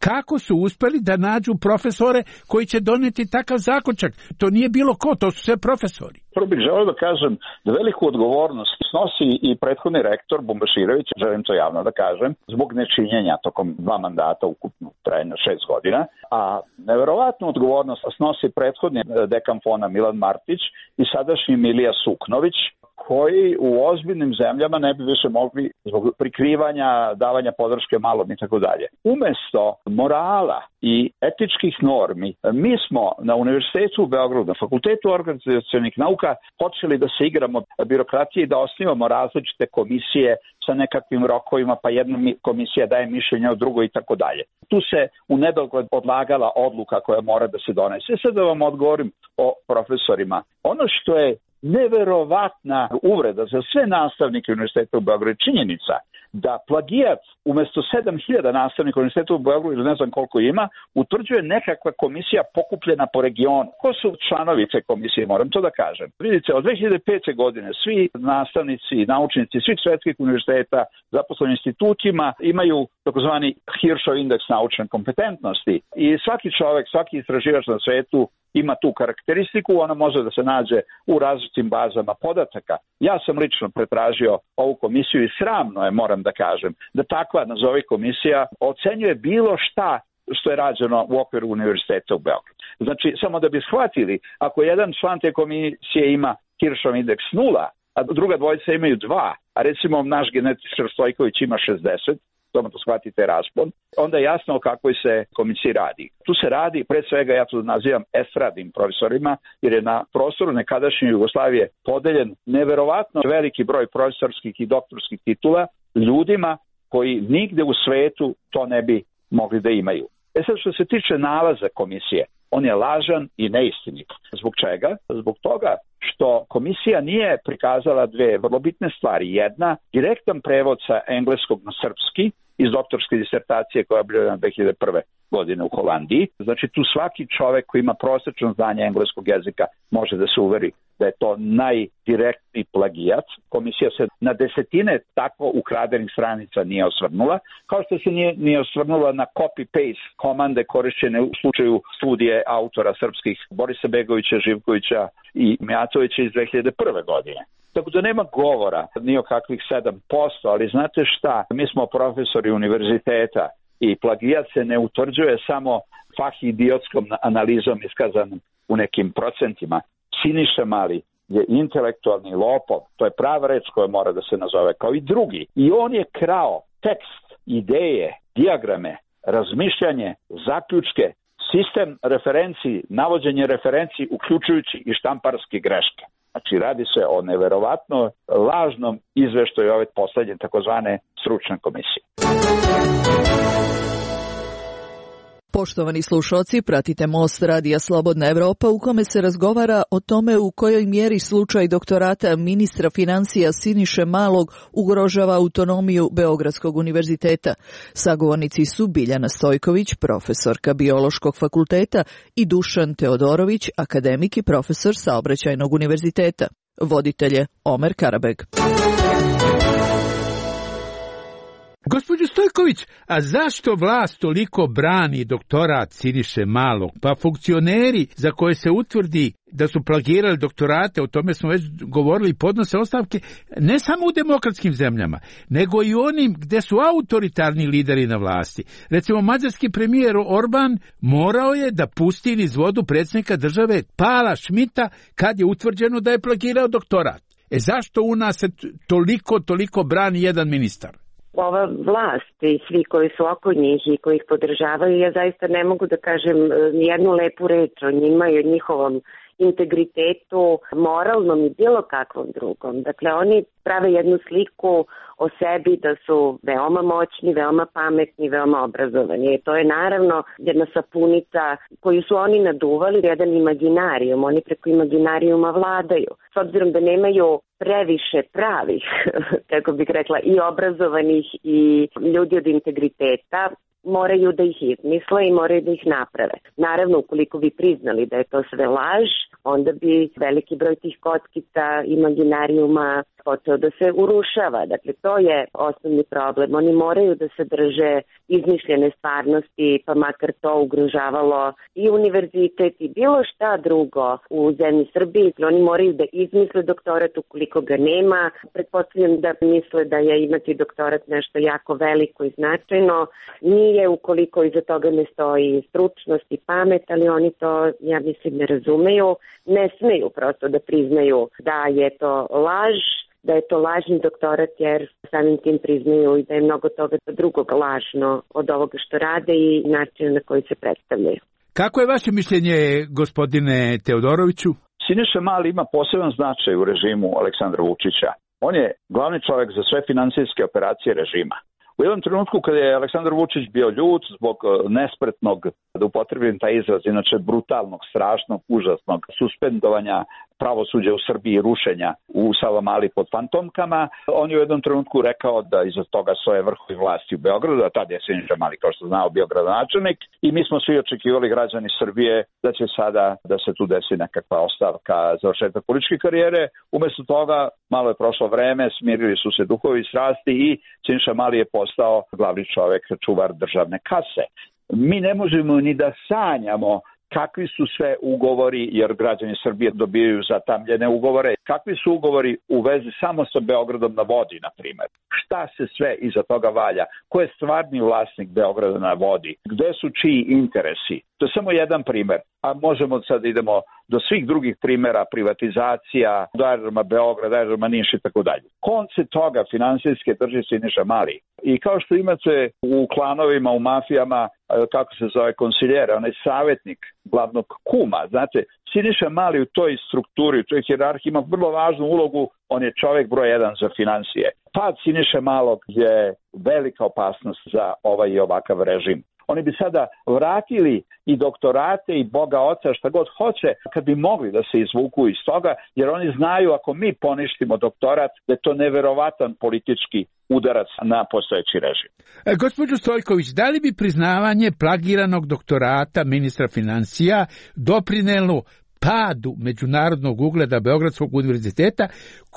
Kako su uspeli da nađu profesore koji će doneti takav zaključak? To nije bilo ko, to su sve profesori. Prvo bih želeo da kažem da veliku odgovornost snosi i prethodni rektor Bumbaširović, želim to javno da kažem, zbog nečinjenja tokom 2 mandata ukupno trajanja 6 godina, a neverovatnu odgovornost snosi prethodni dekan FON-a Milan Martić i sadašnji Milija Suknović, koji u ozbiljnim zemljama ne bi više mogli zbog prikrivanja, davanja podrške malom i tako dalje. Umesto morala i etičkih normi, mi smo na Univerzitetu u Beogradu, na Fakultetu organizacionih nauka, počeli da se igramo birokratije i da osnivamo različite komisije sa nekakvim rokovima, pa jedna komisija daje mišljenje o drugoj i tako dalje. Tu se u nedogled odlagala odluka koja mora da se donese. Sad da vam odgovorim o profesorima. Ono što je neverovatna uvreda za sve nastavnike Univerziteta u Beogradu, činjenica da plagijat umesto 7000 nastavnika Univerziteta u Beogradu, ili ne znam koliko ima, utvrđuje nekakva komisija pokupljena po regionu. Ko su članovi te komisije, moram to da kažem. Vidite, od 2005. godine svi nastavnici i naučnici svih svetskih univerziteta, zaposleni institutima, imaju takozvani Hirschov indeks naučne kompetentnosti i svaki čovek, svaki istraživač na svetu ima tu karakteristiku, ona može da se nađe u različitim bazama podataka. Ja sam lično pretražio ovu komisiju i sramno je, moram da kažem, da takva, nazovi komisija, ocenjuje bilo šta što je rađeno u okviru Univerziteta u Beogradu. Znači, samo da bi shvatili, ako jedan član te komisije ima Hirschov indeks 0, a druga dvojica imaju 2, a recimo naš genetičar Stojković ima 60, tome to shvatite raspon, onda je jasno o kakvoj se komisiji radi. Tu se radi, pre svega ja to nazivam estradnim profesorima, jer je na prostoru nekadašnje Jugoslavije podeljen neverovatno veliki broj profesorskih i doktorskih titula ljudima koji nigde u svetu to ne bi mogli da imaju. Sad što se tiče nalaza komisije, on je lažan i neistinit. Zbog čega? Zbog toga što komisija nije prikazala dve vrlo bitne stvari. Jedna, direktan prevod sa engleskog na srpski iz doktorske disertacije koja je objavljena 2001. godine u Holandiji. Znači tu svaki čovek koji ima prosečno znanje engleskog jezika može da se uveri da je to najdirektniji plagijat. Komisija se na desetine tako ukradenih stranica nije osvrnula, kao što se nije osvrnula na copy-paste komande korišćene u slučaju studije autora srpskih Borisa Begovića, Živkovića i Mijatovića iz 2001. godine. Tako da nema govora ni o kakvih 7%, ali znate šta, mi smo profesori univerziteta i plagijat se ne utvrđuje samo fahidiotskom analizom iskazanom u nekim procentima. Siniša Mali je intelektualni lopov, to je prava reč koja mora da se nazove, kao i drugi. I on je krao tekst, ideje, dijagrame, razmišljanje, zaključke, sistem referenciji, navođenje referenciji, uključujući i štamparske greške. Znači, radi se o neverovatno lažnom izveštaju ove poslednje takozvane stručne komisije. Poštovani slušalci, pratite Most Radija Slobodna Evropa u kome se razgovara o tome u kojoj mjeri slučaj doktorata ministra financija Siniše Malog ugrožava autonomiju Beogradskog univerziteta. Sagovornici su Biljana Stojković, profesorka Biološkog fakulteta, i Dušan Teodorović, akademik i profesor Saobraćajnog univerziteta. Voditelj je Omer Karabeg. Gospođo Stojković, a zašto vlast toliko brani doktorat Siniše Malog? Pa funkcioneri za koje se utvrdi da su plagirali doktorate, o tome smo već govorili, podnose ostavke ne samo u demokratskim zemljama, nego i onim gde su autoritarni lideri na vlasti. Recimo, mađarski premijer Orban morao je da pusti niz vodu predsjednika države Pala Šmita kad je utvrđeno da je plagirao doktorat. Zašto u nas se toliko brani jedan ministar? Ova vlast i svi koji su oko njih i koji ih podržavaju, ja zaista ne mogu da kažem jednu lepu reč o njima i o njihovom integritetu, moralnom i bilo kakvom drugom. Dakle, oni prave jednu sliku o sebi da su veoma moćni, veoma pametni, veoma obrazovani. I to je naravno jedna sapunica koju su oni naduvali, jedan imaginarijum. Oni preko imaginarijuma vladaju. S obzirom da nemaju previše pravih, kako bih rekla, i obrazovanih i ljudi od integriteta, moraju da ih izmisle i moraju da ih naprave. Naravno, ukoliko bi priznali da je to sve laž, onda bi veliki broj tih kockica imaginarijuma počeo da se urušava. Dakle, to je osnovni problem. Oni moraju da se drže izmišljene stvarnosti, pa makar to ugrožavalo i univerzitet i bilo šta drugo u zemlji Srbiji. Oni moraju da izmisle doktorat ukoliko ga nema. Pretpostavljam da misle da je imati doktorat nešto jako veliko i značajno. Nije ukoliko iza toga ne stoji stručnost i pamet, ali oni to, ja mislim, ne razumeju. Ne smeju prosto da priznaju da je to laž, da je to lažni doktorat, jer samim tim priznaju i da je mnogo toga drugog lažno od ovoga što rade i načina na koji se predstavljaju. Kako je vaše mišljenje, gospodine Teodoroviću? Siniša Mali ima poseban značaj u režimu Aleksandra Vučića. On je glavni čovjek za sve finansijske operacije režima. U jednom trenutku kada je Aleksandar Vučić bio ljut zbog nespretnog, da upotrebim taj izraz, inače brutalnog, strašnog, užasnog suspendovanja pravosuđa u Srbiji, rušenja u Savamali pod fantomkama, on je u jednom trenutku rekao da iza toga stoje vrhovi vlasti u Beogradu, a tada je Siniša Mali, kao što znao, bio gradonačelnik, i mi smo svi očekivali, građani Srbije, da će sada da se tu desi nekakva ostavka, završetak političke karijere. Umesto toga, malo je prošlo vreme, smirili su se duhovi i strasti i Siniša Mali je postao glavni čovek, čuvar državne kase. Mi ne možemo ni da sanjamo kakvi su sve ugovori, jer građani Srbije dobijaju zatamljene ugovore, kakvi su ugovori u vezi samo sa Beogradom na vodi, na primjer. Šta se sve iza toga valja? Ko je stvarni vlasnik Beograda na vodi? Gde su čiji interesi? To je samo jedan primer, a možemo sad idemo do svih drugih primjera, privatizacija, do aerodroma Beograd, aerodroma Niš i tako dalje. Konce toga finansijske drži Siniša Mali. I kao što imate u klanovima, u mafijama, kako se zove, konsiljere, onaj savjetnik glavnog kuma, znate, Siniša Mali u toj strukturi, u toj hijerarhiji ima vrlo važnu ulogu, on je čovjek broj 1 za financije. Pad Siniše Malog je velika opasnost za ovaj i ovakav režim. Oni bi sada vratili i doktorate i Boga oca šta god hoće kad bi mogli da se izvuku iz toga, jer oni znaju ako mi poništimo doktorat da je to neverovatan politički udarac na postojeći režim. Gospođo Stojković, da li bi priznavanje plagiranog doktorata ministra financija doprinelo padu međunarodnog ugleda Beogradskog univerziteta,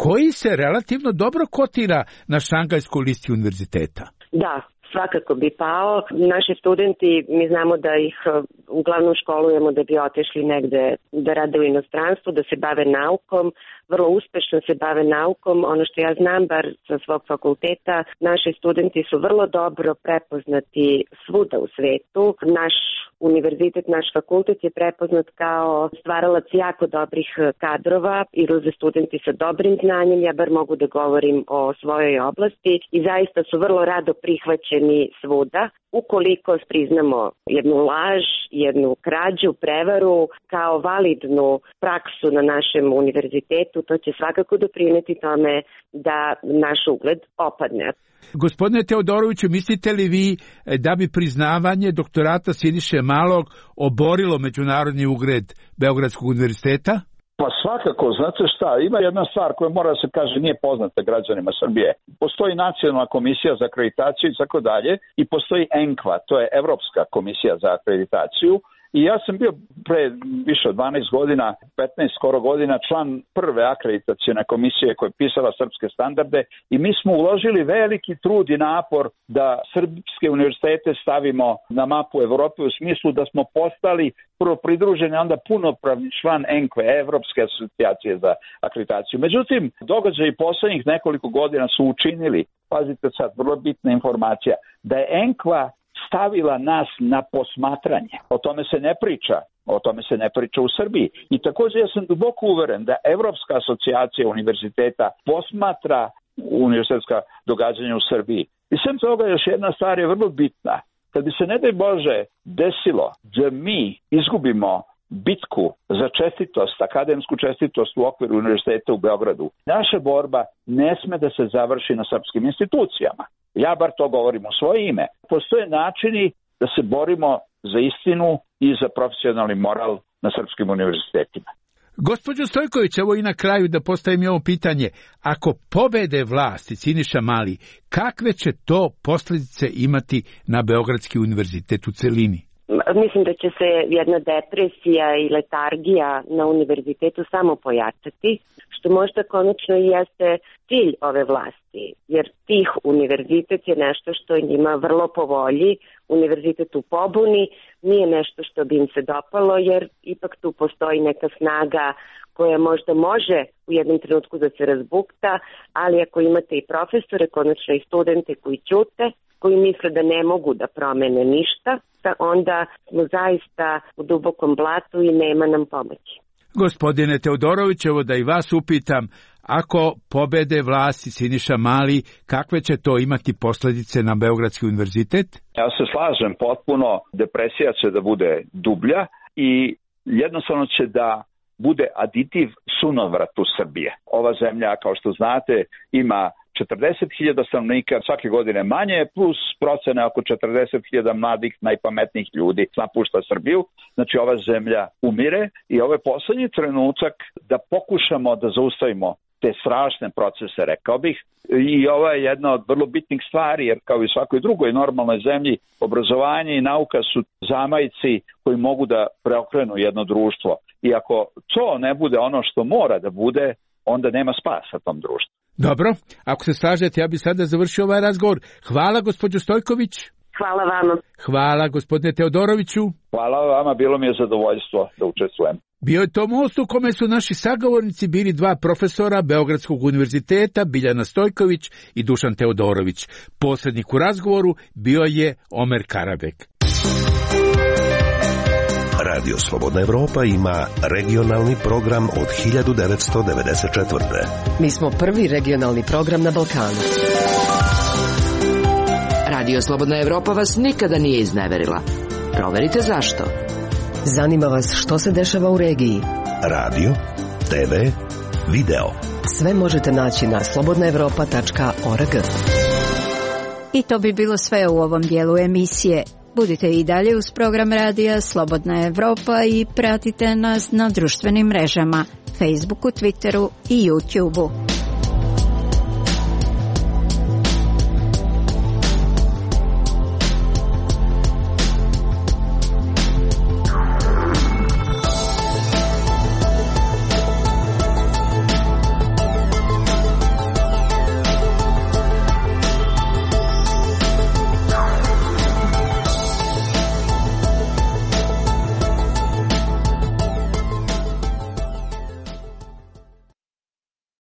koji se relativno dobro kotira na Šangajskoj listi univerziteta? Da, svakako bi pao. Naši studenti, mi znamo da ih uglavnom školujemo da bi otišli negde da rade u inostranstvu, da se bave naukom, vrlo uspešno se bave naukom. Ono što ja znam, bar sa svog fakulteta, naši studenti su vrlo dobro prepoznati svuda u svetu. Naš univerzitet, naš fakultet je prepoznat kao stvaralac jako dobrih kadrova i ruze studenti sa dobrim znanjem, ja bar mogu da govorim o svojoj oblasti i zaista su vrlo rado prihvaćeni svuda. Ukoliko priznamo jednu laž, jednu krađu, prevaru kao validnu praksu na našem univerzitetu, to će svakako doprineti tome da naš ugled opadne. Gospodine Teodoroviću, mislite li vi da bi priznavanje doktorata Siniše Malog oborilo međunarodni ugled Beogradskog univerziteta? Pa svakako, znate šta, ima jedna stvar koja mora da se kaže nije poznata građanima Srbije. Postoji Nacionalna komisija za akreditaciju i tako dalje i postoji ENKVA, to je Evropska komisija za akreditaciju. I ja sam bio pre više od 12 godina, 15 skoro godina, član prve akreditacione komisije koja je pisala srpske standarde i mi smo uložili veliki trud i napor da srpske univerzitete stavimo na mapu Evrope u smislu da smo postali prvo pridruženi, onda punopravni član ENKVE, Evropske asocijacije za akreditaciju. Međutim, događaji poslednjih nekoliko godina su učinili, pazite sad, vrlo bitna informacija, da je ENKVA stavila nas na posmatranje. O tome se ne priča. O tome se ne priča u Srbiji. I također ja sam duboko uveren da Evropska asocijacija univerziteta posmatra univerzitetska događanja u Srbiji. I sem toga još jedna stvar je vrlo bitna. Kad bi se, ne daj Bože, desilo da mi izgubimo bitku za čestitost, akademsku čestitost u okviru univerziteta u Beogradu, naša borba ne sme da se završi na srpskim institucijama. Ja bar to govorim u svoje ime. Postoje načini da se borimo za istinu i za profesionalni moral na srpskim univerzitetima. Gospođo Stojković, evo i na kraju da postavim i ovo pitanje. Ako pobede vlasti Siniša Mali, kakve će to posljedice imati na Beogradski univerzitet u celini? Mislim da će se jedna depresija i letargija na univerzitetu samo pojačati, što možda konačno i jeste cilj ove vlasti, jer tih univerzitet je nešto što je njima vrlo po volji. Univerzitet u pobuni nije nešto što bi im se dopalo, jer ipak tu postoji neka snaga koja možda može u jednom trenutku da se razbukta, ali ako imate i profesore, konačno i studente koji ćute, koji misle da ne mogu da promene ništa, onda smo zaista u dubokom blatu i nema nam pomoći. Gospodine Teodorović, evo da i vas upitam, ako pobede vlasti Siniša Mali, kakve će to imati posljedice na Beogradski univerzitet? Ja se slažem potpuno, depresija će da bude dublja i jednostavno će da bude aditiv sunovratu Srbije. Ova zemlja, kao što znate, ima 40.000 stanovnika, svake godine manje, plus procene oko 40.000 mladih, najpametnijih ljudi napušta Srbiju. Znači ova zemlja umire i ovo je poslednji trenutak da pokušamo da zaustavimo te strašne procese, rekao bih. I ovo je jedna od vrlo bitnih stvari, jer kao i svakoj drugoj normalnoj zemlji, obrazovanje i nauka su zamajci koji mogu da preokrenu jedno društvo. I ako to ne bude ono što mora da bude, onda nema spasa tom društvu. Dobro, ako se slažete, ja bih sada završio ovaj razgovor. Hvala, gospođo Stojković. Hvala vama. Hvala, gospodine Teodoroviću. Hvala vama, bilo mi je zadovoljstvo da učestvujem. Bio je to most u kome su naši sagovornici bili dva profesora Beogradskog univerziteta, Biljana Stojković i Dušan Teodorović. Posrednik u razgovoru bio je Omer Karabek. Radio Slobodna Evropa ima regionalni program od 1994. Mi smo prvi regionalni program na Balkanu. Radio Slobodna Evropa vas nikada nije izneverila. Proverite zašto. Zanima vas što se dešava u regiji. Radio, TV, video. Sve možete naći na slobodnaevropa.org. I to bi bilo sve u ovom dijelu emisije. Budite i dalje uz program radija Slobodna Evropa i pratite nas na društvenim mrežama, Facebooku, Twitteru i YouTubeu.